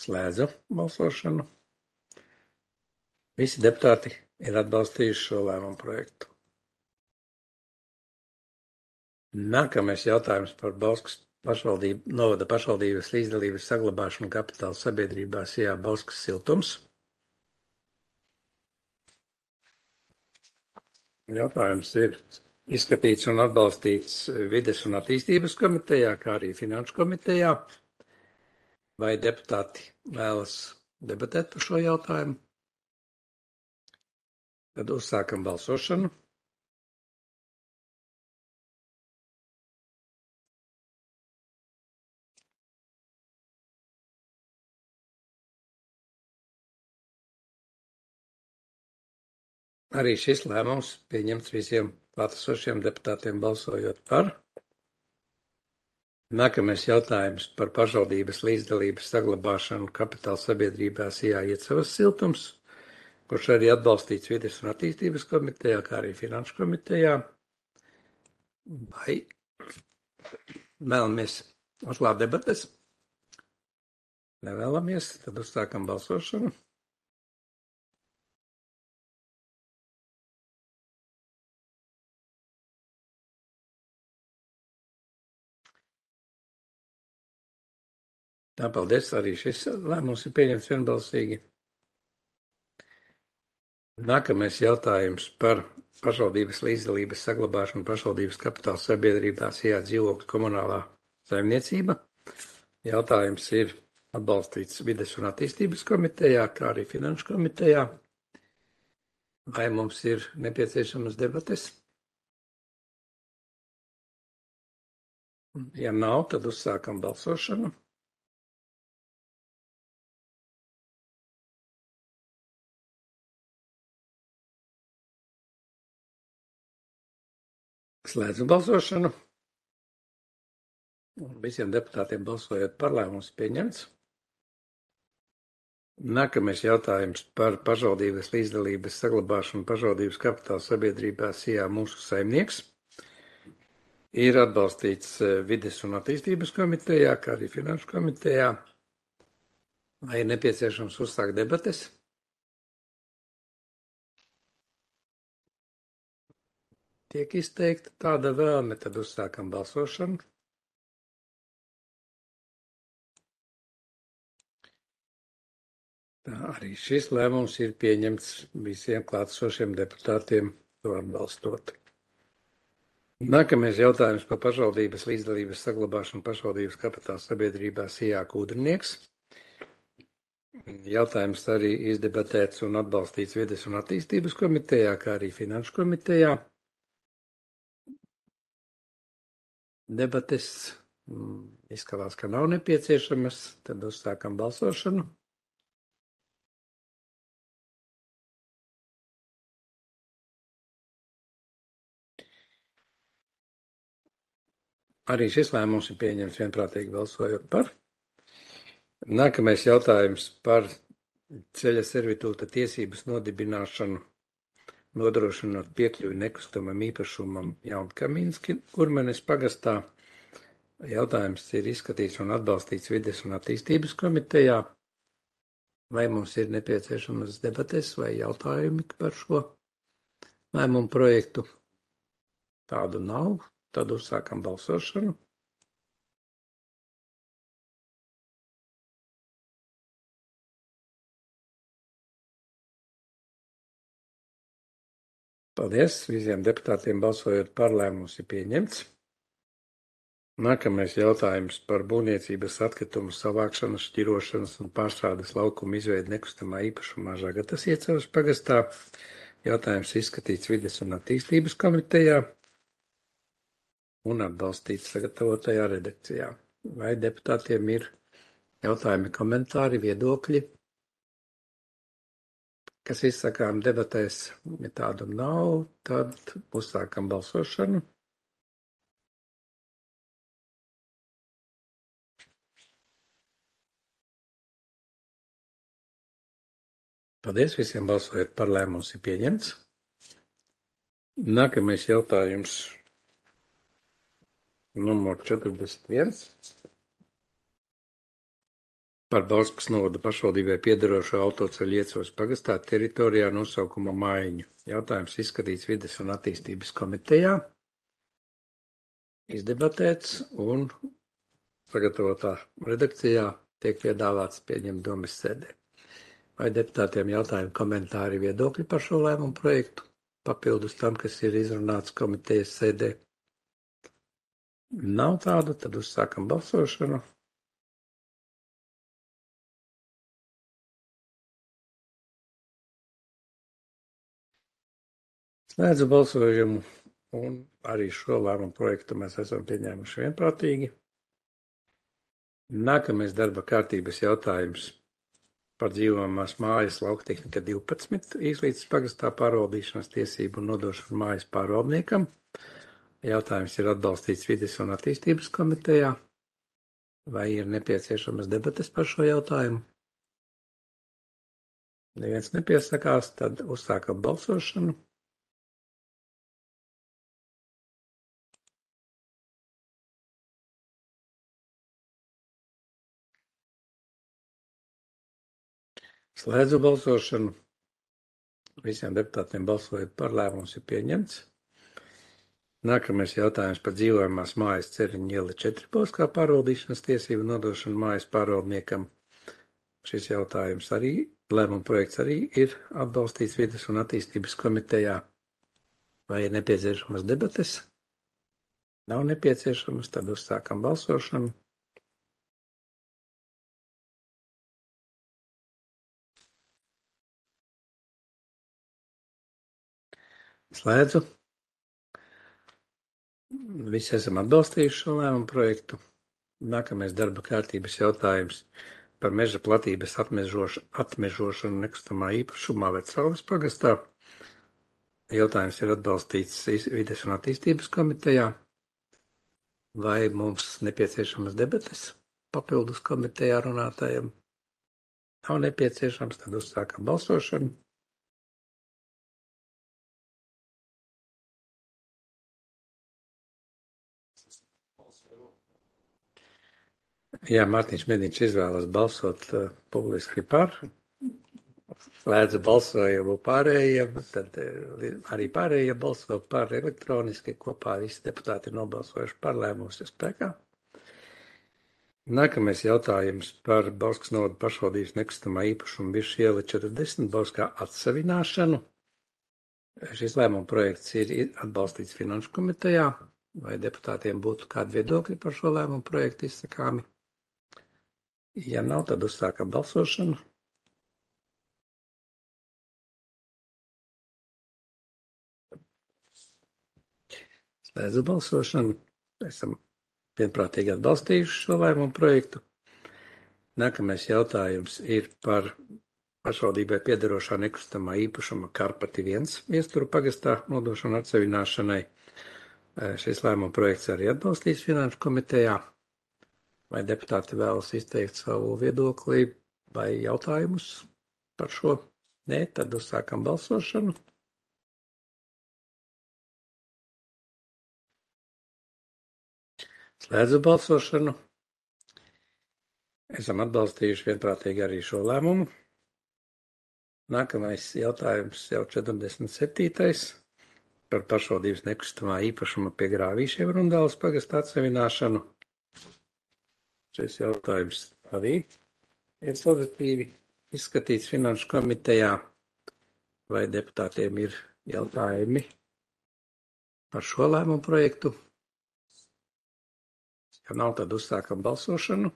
Slēdzu balsošanu. Visi deputāti ir atbalstījuši šo lēmumu projektu. Nākamais jautājums par Bauskas pašvaldību, novada pašvaldības līdzdalības saglabāšanu kapitāla sabiedrībās, jā, Bauskas siltums. Jautājums ir izskatīts un atbalstīts Vides un attīstības komitejā, kā arī Finanšu komitejā. Vai deputāti vēlas debatēt par šo jautājumu? Tad uzsākam balsošanu. Arī šis lēmums pieņemts visiem klātesošiem deputātiem balsojot par. Nākamais jautājums par pašvaldības līdzdalības saglabāšanu kapitāla sabiedrībās jāiecavas siltums, kurš arī atbalstīts Vides un attīstības komitejā, kā arī Finanšu komitejā. Vai vēlamies uzklāt debates? Nevēlamies, tad uzsākam balsošanu. Tā, paldies, arī šis lēmums ir pieņemts vienbalsīgi. Nākamais jautājums par pašvaldības līdzdalības saglabāšanu pašvaldības kapitāla sabiedrībās, jā, dzīvokļu komunālā saimniecība. Jautājums ir atbalstīts Vides un attīstības komitejā, kā arī Finanšu komitejā. Vai mums ir nepieciešamas debates? Ja nav, tad uzsākam balsošanu. Slēdzu balsošanu. Visiem deputātiem balsojot par, lēmums pieņemts. Nākamais jautājums par pašvaldības līdzdalības saglabāšanu pašvaldības kapitāla sabiedrībās, jā, mūsu saimnieks. Ir atbalstīts Vides un attīstības komitejā, kā arī Finanšu komitejā. Vai ir nepieciešams uzsākt debates? Tiek izteikta tāda vēlme, tad uzsākam balsošanu. Tā, arī šis lēmums ir pieņemts visiem klātesošiem deputātiem to atbalstot. Nākamais jautājums par pašvaldības līdzdalības saglabāšanu pašvaldības kapitāla sabiedrībās, jā, Kūdrnieks. Jautājums arī izdebatēts un atbalstīts Vides un attīstības komitejā, kā arī Finanšu komitejā. Debates izskatās, ka nav nepieciešamas, tad uzsākam balsošanu. Arī šis lēmums ir pieņemts vienprātīgi balsojot par. Nākamais jautājums par ceļa servitūta tiesības nodibināšanu, nodrošinot piekļuvi nekustamam īpašumam Jaunkamīnski Kurmenes pagastā. Jautājums ir izskatīts un atbalstīts Vides un attīstības komitejā. Vai mums ir nepieciešamas debates vai jautājumi par šo lēmumu projektu? Tādu nav. Tad uzsākam balsošanu. Paldies! Visiem deputātiem balsojot par, lēmums ir pieņemts. Nākamais jautājums par būvniecības atkritumu savākšanas, šķirošanas un pārstrādes laukumu izveidu nekustamā īpašumā Žagatas iecavas pagastā. Jautājums izskatīts Vides un attīstības komitejā un atbalstīts sagatavotajā redakcijā. Vai deputātiem ir jautājumi, komentāri, viedokļi, kas izsakām debatēs? Ja tādu nav, tad uzsākam balsošanu. Paldies, visiem balsojot par, lēmums ir pieņemts. Nākamais jautājums. Numur četrdesmit viens. par Bauskas novada pašvaldībai piederošo autoceļu Iecavas pagastā teritorijā nosaukuma maiņu. Jautājums izskatīts vides un attīstības komitejā, izdebatēts un sagatavotā redakcijā tiek piedāvāts pieņemt domes sēdē. Vai deputātiem jautājumi, komentāri, viedokļi par šo lēmumu projektu, papildus tam, kas ir izrunāts komitejas sēdē? Nav tādu, tad uzsākam balsošanu. Slēdzu balsojumu, un arī šo lēmumu projektu mēs esam pieņēmuši vienprātīgi. Nākamais darba kārtības jautājums par dzīvojamās mājas lauktehnika divpadsmit Īslītes pagastā pārvaldīšanas tiesību un nodošanu mājas pārvaldniekam. Jautājums ir atbalstīts vides un attīstības komitejā. Vai ir nepieciešamas debates par šo jautājumu? Neviens nepiesakās, tad uzsākam balsošanu. Slēdzu balsošanu. Visiem deputātiem balsojot par, lēmums ir pieņemts. Nākamais jautājums par dzīvojamās mājas Ceriņa iela četri Bauskā pārvaldīšanas tiesību nodošanu mājas pārvaldniekam. Šis jautājums arī, lēmuma projekts arī ir atbalstīts vides un attīstības komitejā. Vai ir nepieciešamas debates? Nav nepieciešamas, tad uzsākam balsošanu. Slēdzu. Visi esam atbalstījuši šo lēmumu projektu. Nākamais darba kārtības jautājums par meža platības atmežošanu, atmežošanu nekustamā īpašumā Vecraules pagastā. Jautājums ir atbalstīts vides un attīstības komitejā. Vai mums nepieciešamas debates papildus komitejā runātājiem? Nav nepieciešams, tad uzsākam balsošanu. Jā, Mārtiņš Mediņš izvēlas balsot uh, publiski par. Slēdzu balsojumu pārējiem, tad uh, arī pārējie balso par elektroniski. Kopā visi deputāti ir nobalsojuši par, lēmums ir spēkā. Nākamais jautājums par Bauskas novada pašvaldības nekustamā īpašuma Birža iela četrdesmit Bauskā atsavināšanu. Šis lēmuma projekts ir atbalstīts Finanšu komitejā. Vai deputātiem būtu kādi viedokļi par šo lēmumu projektu izsakāmi? Ja nav, tad uzsākam balsošanu. Slēdzu balsošanu. Esam vienprātīgi atbalstījuši šo lēmumu projektu. Nākamais jautājums ir par pašvaldībai piederošā nekustamā īpašuma Karpati viens Viesturu pagastā nodošanu atsevināšanai. Šis lēmuma projekts arī atbalstīts Finanšu komitejā. Vai deputāti vēlas izteikt savu viedokli vai jautājumus par šo? Nē, tad uzsākam balsošanu. Slēdzu balsošanu. Esam atbalstījuši vienprātīgi arī šo lēmumu. Nākamais jautājums jau četrdesmit septītais par pašvaldības nekustamā īpašuma pie Grāvīšiem Rundāles pagastā atsevināšanu. Šis jautājums arī ir pozitīvi izskatīts Finanšu komitejā. Vai deputātiem ir jautājumi par šo lēmumu projektu? Ja nav, tad uzsākam balsošanu.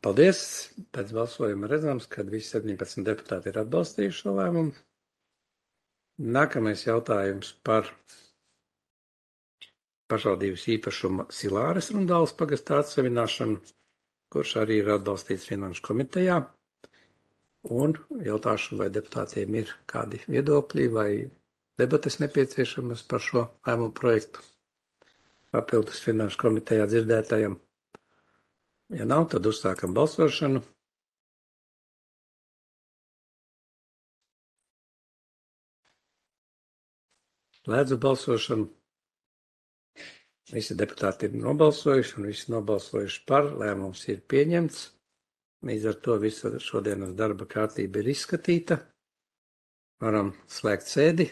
Paldies! Pēc balsojuma redzams, ka visi septiņpadsmit deputāti ir atbalstījuši šo lēmumu. Nākamais jautājums par pašvaldības īpašuma Silāres Rundāles pagastā atsevināšanu, kurš arī ir atbalstīts Finanšu komitejā. Un jautāšu, vai deputātiem ir kādi viedokļi vai debates nepieciešamas par šo lēmumu projektu papildus Finanšu komitejā dzirdētajam. Ja nav, tad uzsākam balsošanu. Slēdzu balsošanu. Visi deputāti ir nobalsojuši un visi nobalsojuši par. Lēmums ir pieņemts. Līdz ar to visa šodienas darba kārtība ir izskatīta. Varam slēgt sēdi.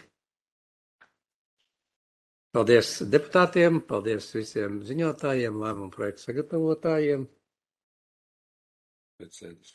Paldies deputātiem, paldies visiem ziņotājiem, lēmumu projektu sagatavotājiem. Pēc sēdes.